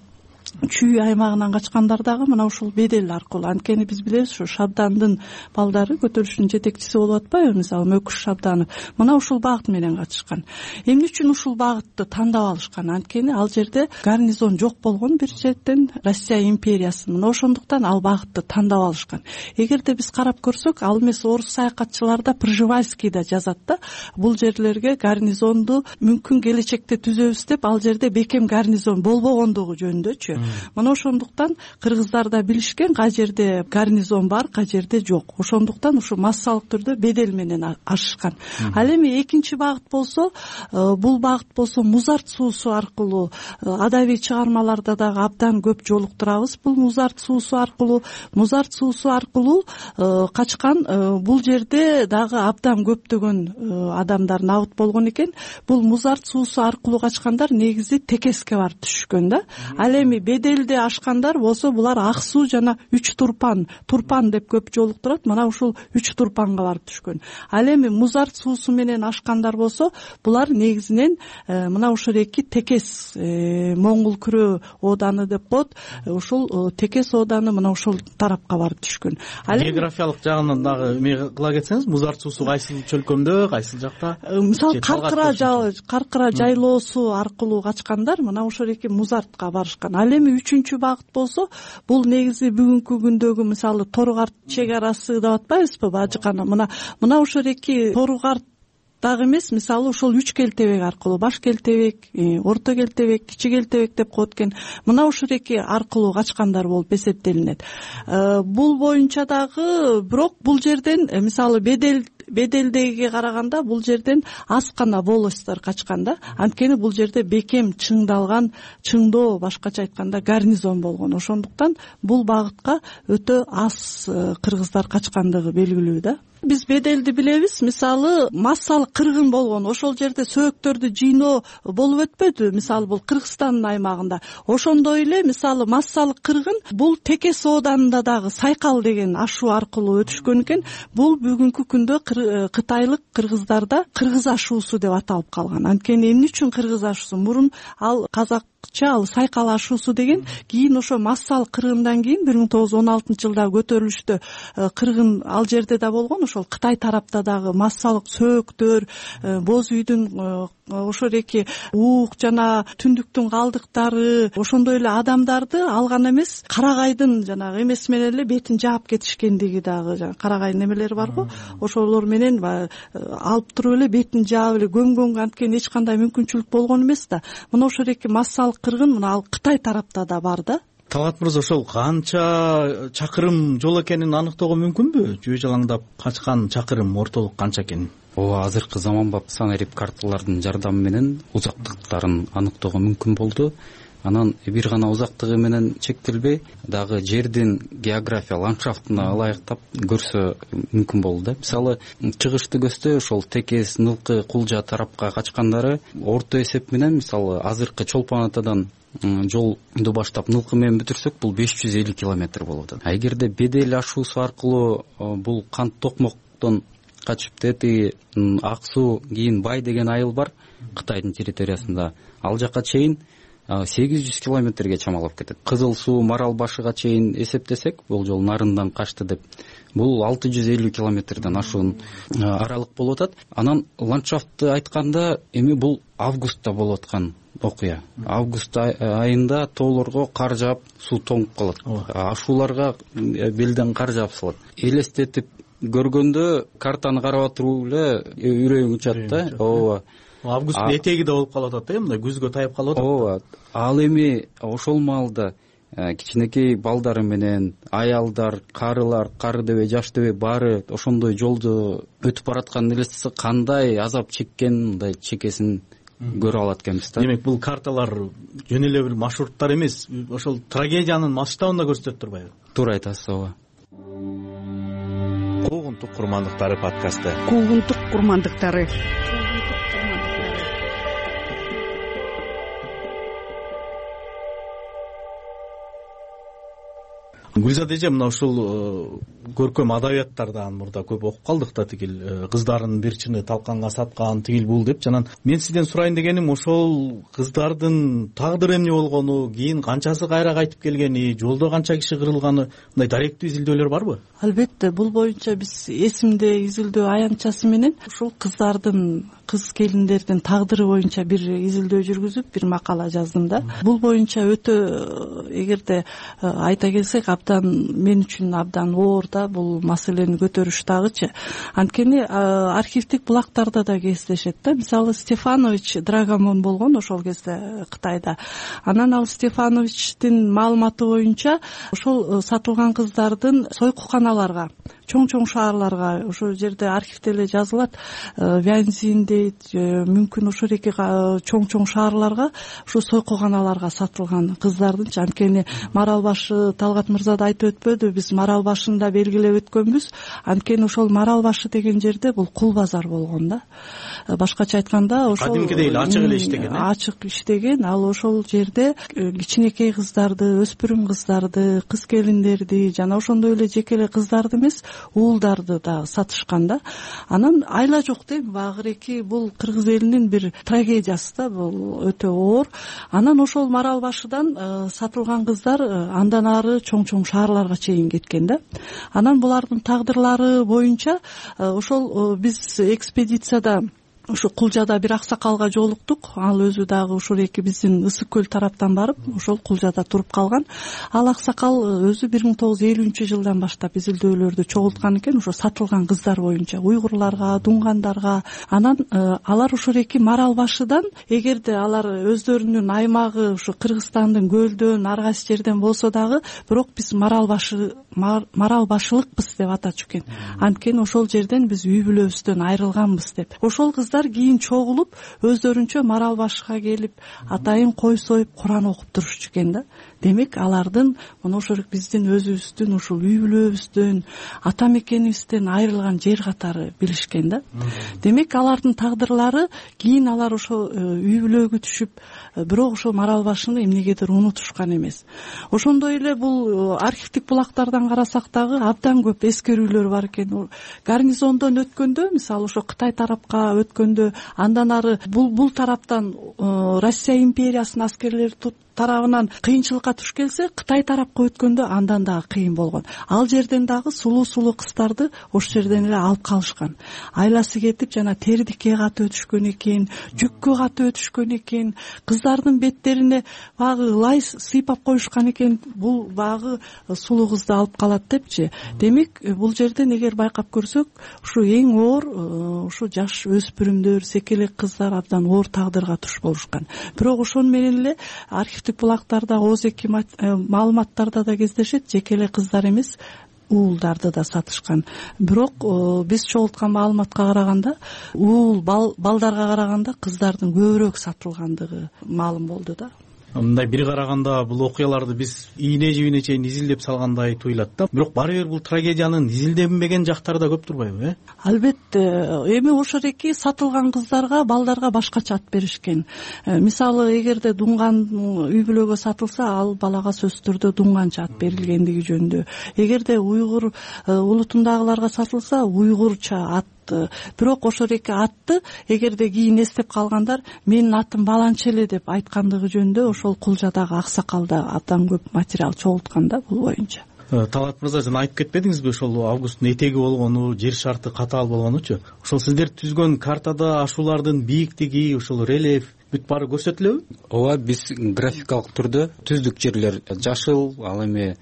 чүй аймагынан качкандар дагы мына ушул бедел аркылуу. Анткени биз билебиз ушу Шабдандын балдары көтөрүлүштүн жетекчиси болуп атпайбы, мисалы Мөкүш Шабданов мына ушул багыт менен катышкан. Эмне үчүн ушул багытты тандап алышкан? Анткени ал жерде гарнизон жок болгон бир жерден, Россия империясы. Мына ошондуктан ал багытты тандап алышкан. Эгерде биз карап көрсөк, ал эмес орус саякатчылар да Пржевальский да жазат да, бул жерлерге гарнизонду мүмкүн келечекте түзөбүз деп, ал жерде бекем гарнизон болбогондугу жөнүндөчү. Мына ошондуктан кыргыздар да билишкен, кай жерде гарнизон бар, кай жерде жок. Ошондуктан ушу массалык түрдө бедел менен ашышкан. Ал эми экинчи багыт болсо, бул багыт болсо Музарт суусу аркылуу, адабий чыгармаларда дагы абдан көп жолуктурабыз. Бул Музарт суусу аркылуу, Музарт суусу аркылуу качкан. Бул жерде дагы абдан көптөгөн адамдар набыт болгон экен. Бул Музарт суусу аркылуу качкандар негизи Текеске барып түшкөн да. Ал эми беделди ашкандар болсо булар Ак суу жана Үч Турпан, Турпан деп көп жолуктурат. Мына ушул Үч Турпанга барып түшкөн. Ал эми Музарт суусу менен ашкандар болсо, булар негизинен мына ушул эки Текес, Моңгол күрөө ооданы деп коет. Ушул Текес ооданы мына ушул тарапка барып түшкөн. Географиялык жагынан дагы эме кыла кетсеңиз, Музарт суусу кайсыл чөлкөмдө, кайсыл жакта? Мисалы Каркыра Каркыра жайлоосу аркылуу качкандар мына ушул эки Музартка барышкан. Ал эми үчүнчү багыт болсо, бул негизи бүгүнкү күндөгү мисалы Торугарт чек арасы деп атпайбызбы, Бажыкана. Мына мына ушул эки Торугарт дагы эмес, мисалы ушул Үч Келтебек аркылуу, Баш Келтебек, Орто Келтебек, Кичи Келтебек деп коет экен. Мына ушул эки аркылуу качкандар болуп эсептелинет. Бул боюнча дагы бирок бул жерден мисалы бедел беделдеге караганда бул жерден аз гана волостьтор качкан да. Анткени бул жерде бекем чыңдалган, чыңдоо, башкача айтканда гарнизон болгон. Ошондуктан бул багытка өтө аз кыргыздар качкандыгы белгилүү да. Биз беделди билебиз, мисалы массалык кыргын болгон. Ошол жерде сөөктөрдү жыйноо болуп өтпөдү, мисалы бул Кыргызстандын аймагында. Ошондой эле мисалы массалык кыргын бул Текес ооданында дагы Сайкал деген ашуу аркылуу өтүшкөн экен. Бул бүгүнкү күндө кытайлык кыргыздарда кыргыз ашуусу деп аталып калган. Анткени эмне үчүн кыргыз ашуусу? Мурун ал казак ал Сайкал ашуусу деген, кийин ошо массалык кыргындан кийин бир миң тогуз жүз он алтынчы жылдагы көтөрүлүштө кыргын ал жерде да болгон. Ошол Кытай тарапта дагы массалык сөөктөр, боз үйдүн ошол эки уук жана түндүктүн калдыктары, ошондой эле адамдарды алган эмес, карагайдын жанагы эмеси менен эле бетин жаап кетишкендиги дагы, жана карагай немелери барго, ошолор менен алып туруп эле бетин жаап эле көмгөнгө анткени эч кандай мүмкүнчүлүк болгон эмес да. Мына ошол эки массалык кыргын мына ал Кытай тарапта да бар да. Талгат мырза, ошол канча чакырым жол экенин аныктоого мүмкүнбү? Жөө жалаңдап качкан чакырым ортолук канча экенин? Ооба, азыркы заманбап санарип карталардын жардамы менен узактыктарын аныктоого мүмкүн болду. Анан бир гана узактыгы менен чектелбей, дагы жердин география, ландшафтына ылайыктап көрсө мүмкүн болду да. Мисалы, чыгышты көзтө ошол Текес, Нылкы, Кулжа тарапка качкандары орто эсеп менен, мисалы, азыркы Чолпон Атадан жолду баштап Нылкы менен бүтүрсөк, бул беш жүз элүү километр болот. А эгерде бедел ашуусу аркылуу бул Кант Токмоктон качып тети Ак суу, кийин Бай деген айыл бар Кытайдын территориясында, ал жака чейин сегиз жүз километрге чамалап кетет. Кызыл суу, Марал башыга чейин эсептесек, бул жол нарындан качты деп, бул алты жүз элүү километрден ашуун аралык болуп атат. Анан ландшафтты айтканда, эми бул августта болуп аткан окуя. Август айында тоолорго кар жаап, суу тоңуп калат. Ашууларга белден кар жаап салат. Элестетип көргөндө картаны карап туруп эле үрөйүң учат да. Ооба. Августтун этеги да болуп калып атат да, мындай күзгө таяп калып атат. Ооба. Ал эми ошол маалда кичинекей балдары менен аялдар, карылар, кары дебей, жаш дебей баары ошондой жолду өтүп баратканын элестесе, кандай азап чеккен, мындай чекесин көрө алат экенбиз да. Демек, бул карталар жөн эле бир маршруттар эмес, ошол трагедиянын масштабын да көрсөтөт турбайбы? Туура айтасыз, ооба. Куугунтук курмандыктары подкасты. Куугунтук курмандыктары. гүлзада эже, мына ушул көркөм адабияттардан мурда көп окуп калдык да, тигил кыздардын бир чыны талканга саткан, тигил бул деп. Жанан мен сизден сурайын дегеним, ошол кыздардын тагдыры эмне болгону, кийин канчасы кайра кайтып келгени, жолдо канча киши кырылганы, мындай даректүү изилдөөлөр барбы? Албетте, бул боюнча биз эсимде изилдөө аянтчасы менен ушул кыздардын, кыз келиндердин тагдыры боюнча бир изилдөө жүргүзүп, бир макала жаздым да. Бул боюнча өтө, эгерде айта келсек, абдан мен үчүн абдан оор да бул маселени көтөрүш дагычы. Анткени архивдик булактарда да кездешет да. Мисалы Стефанович Драгомон болгон ошол кезде Кытайда. Анан ал Стефановичтин маалыматы боюнча ошол сатылган кыздардын сойкуканаларга, чоң-чоң шаарларга, ошол жерде архивде эле жазылат, Вянзин дейт, мүмкүн ошол эки чоң-чоң шаарларга, ушу сойкуканаларга сатылган кыздардынчы. Анткени Марал башы, Талгат мырза да айтып өтпөдү, биз Марал башында белгилеп өткөнбүз. Анткени ошол Марал башы деген жерде бул кул базар болгон да. Башкача айтканда, ошол кадимкидей эле ачык эле иштеген. Ачык иштеген. Ал ошол жерде кичинекей кыздарды, өспүрүм кыздарды, кыз келиндерди, жана ошондой эле жеке эле кыздарды эмес, уулдарды да сатышкан да. Анан айла жок дейм, багыреки бул кыргыз элинин бир трагедиясы да, бул өтө оор. Анан ошол Марал башыдан сатылган кыздар андан ары чоң-чоң шаарларга чейин кеткен да. Анан булардын тагдырлары боюнча ошол биз экспедицияда ушу Кулжада бир аксакалга жолуктук. Ал өзү дагы ушул эки биздин Ысык көл тараптан барып, ошол Кулжада туруп калган. Ал аксакал өзү бир миң тогуз жүз элүүнчү жылдан баштап изилдөөлөрдү чогулткан экен, ошо сатылган кыздар боюнча, уйгурларга, дунгандарга. Анан алар ушул эки Марал башыдан, эгерде алар өздөрүнүн аймагы ушу Кыргызстандын көлдөн, ар кайсы жерден болсо дагы, бирок биз Марал башы Марал башылыкпыз деп атачу экен. Анткени ошол жерден биз үй бүлөбүздөн айрылганбыз деп. Ошол кыздар кийин чогулуп, өздөрүнчө Марал башыга келип, атайын кой союп, Куран окуп турушчу экен да. Демек, алардын мына ошол биздин өзүбүздүн, ушул үй бүлөбүздөн, ата мекенибизден айрылган жер катары билишкен да. Демек, алардын тагдырлары кийин алар ошо үй бүлөгө түшүп, бирок ошо Марал башыны эмнегедир унутушкан эмес. Ошондой эле бул архивдик булактардан карасак дагы абдан көп эскерүүлөр бар экен. Гарнизондон өткөндө, мисалы ошо Кытай тарапка өткөндө, андан ары бул бул тараптан Россия империясынын аскерлери тарабынан кыйынчылыкка туш келсе, Кытай тарапка өткөндө андан дагы кыйын болгон. Ал жерден дагы сулуу-сулуу кыздарды ошол жерден эле алып калышкан. Айласы кетип, жана тердикке катып өтүшкөн экен, жүккө катып өтүшкөн экен, кыздардын беттерине багы лай сыйпап коюшкан экен. Бул багы сулуу кызды алып калат депчи. Демек, бул жерден эгер байкап көрсөк, ушу эң оор ушу жаш өспүрүмдөр, секелек кыздар абдан оор тагдырга туш болушкан. Бирок ошону менен эле архивдик булактарда, ооз эки маалыматтарда да кездешет, жеке эле кыздар эмес, уулдарды да сатышкан. Бирок биз чогулткан маалыматка караганда, уул балдарга караганда кыздардын көбүрөөк сатылгандыгы маалым болду да. Мындай бир караганда бул окуяларды биз ийне жибине чейин изилдеп салгандай туюлат да. Бирок баары бир бул трагедиянын изилденбеген жактары да көп турбайбы, э? Албетте, эми ошол эки сатылган кыздарга, балдарга башкача ат беришкен. Мисалы, эгерде дунган үй бүлөгө сатылса, ал балага сөзсүз түрдө дунганча ат берилгендиги жөнүндө. Эгерде уйгур улутундагыларга сатылса, уйгурча ат. Бирок ошол эки атты эгерде кийин эстеп калгандар, менин атым баланча эле деп айткандыгы жөнүндө ошол Кулжадагы аксакалда абдан көп материал чогулткан да бул боюнча. Талгат мырза, жана айтып кетпедиңизби ошол августтун этеги болгону, жер шарты катаал болгонучу? Ошол сиздер түзгөн картада ашуулардын бийиктиги, ошол рельеф бүт баары көрсөтүлөбү? Ооба, биз графикалык түрдө түздүк жерлер жашыл, ал эми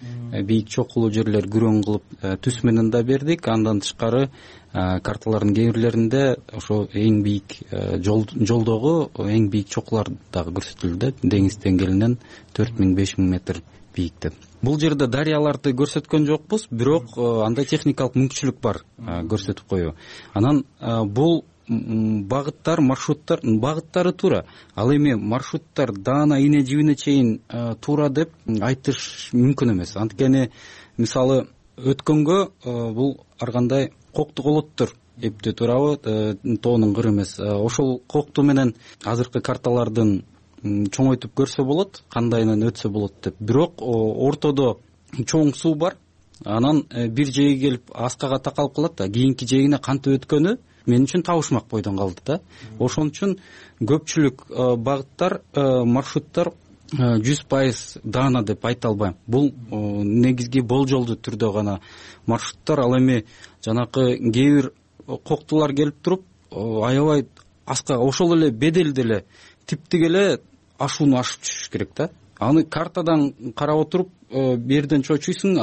бийик чокулуу жерлер күрөң кылып түс менен да бердик. Андан тышкары карталардын кээ бирлеринде ошо эң бийик жолдогу эң бийик чокулар дагы көрсөтүлдү, деңиз деңгээлинен төрт миң беш миң метр бийикте. Бул жерде дарыяларды көрсөткөн жокпуз, бирок андай техникалык мүмкүнчүлүк бар көрсөтүп коюу. Анан бул багыттар, маршруттар, багыттары туура. Ал эми маршруттар даана ийне жибине чейин туура деп айтыш мүмкүн эмес. Анткени мисалы өткөнгө бул ар кандай кокту колоттор эптөө туурабы, тоонун кыры эмес. Ошол кокту менен азыркы карталардын чоңойтуп көрсө болот, кандайынан өтсө болот деп. Бирок ортодо чоң суу бар, анан бир жээги келип аскага такалып калат да, кийинки жээгине кантип өткөнү мен үчүн табышмак бойдон калды да. Ошон үчүн көпчүлүк багыттар, маршруттар жүз пайыз даана деп айта албайм. Бул негизги болжолдуу түрдө гана маршруттар. Ал эми жанакы кээ бир коктулар келип туруп аябай аскага ошол эле беделди эле типтик эле ашууну ашып түшүш керек да. Аны картадан карап отуруп берден чочуйсуң,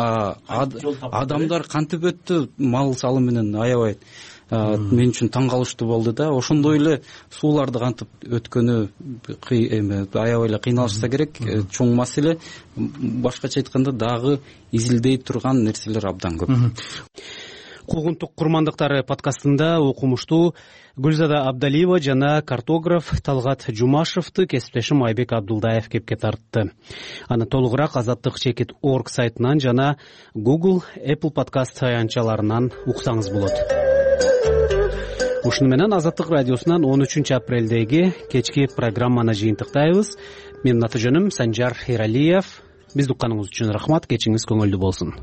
адамдар кантип өттү мал салы менен, аябай мен үчүн таң калыштуу болду да. Ошондой эле сууларды кантип өткөнү аябай эле кыйналышса керек. Чоң маселе. Башкача айтканда дагы изилдей турган нерселер абдан көп. Куугунтук курмандыктары подкастында окумуштуу Гүлзада Абдалиева жана картограф Талгат Жумашевди кесиптешим Айбек Абдулдаев кепке тартты. Аны толугураак азаттык чекит точка орг сайтынан жана Google, Apple подкаст аянтчаларынан уксаңыз болот. Ушуну менен Азаттык радиосунан он үчүнчү апрелдеги кечки программаны жыйынтыктайбыз. Менин аты жөнүм Санжар Эралиев. Бизди укканыңыз үчүн рахмат. Кечиңиз көңүлдүү болсун.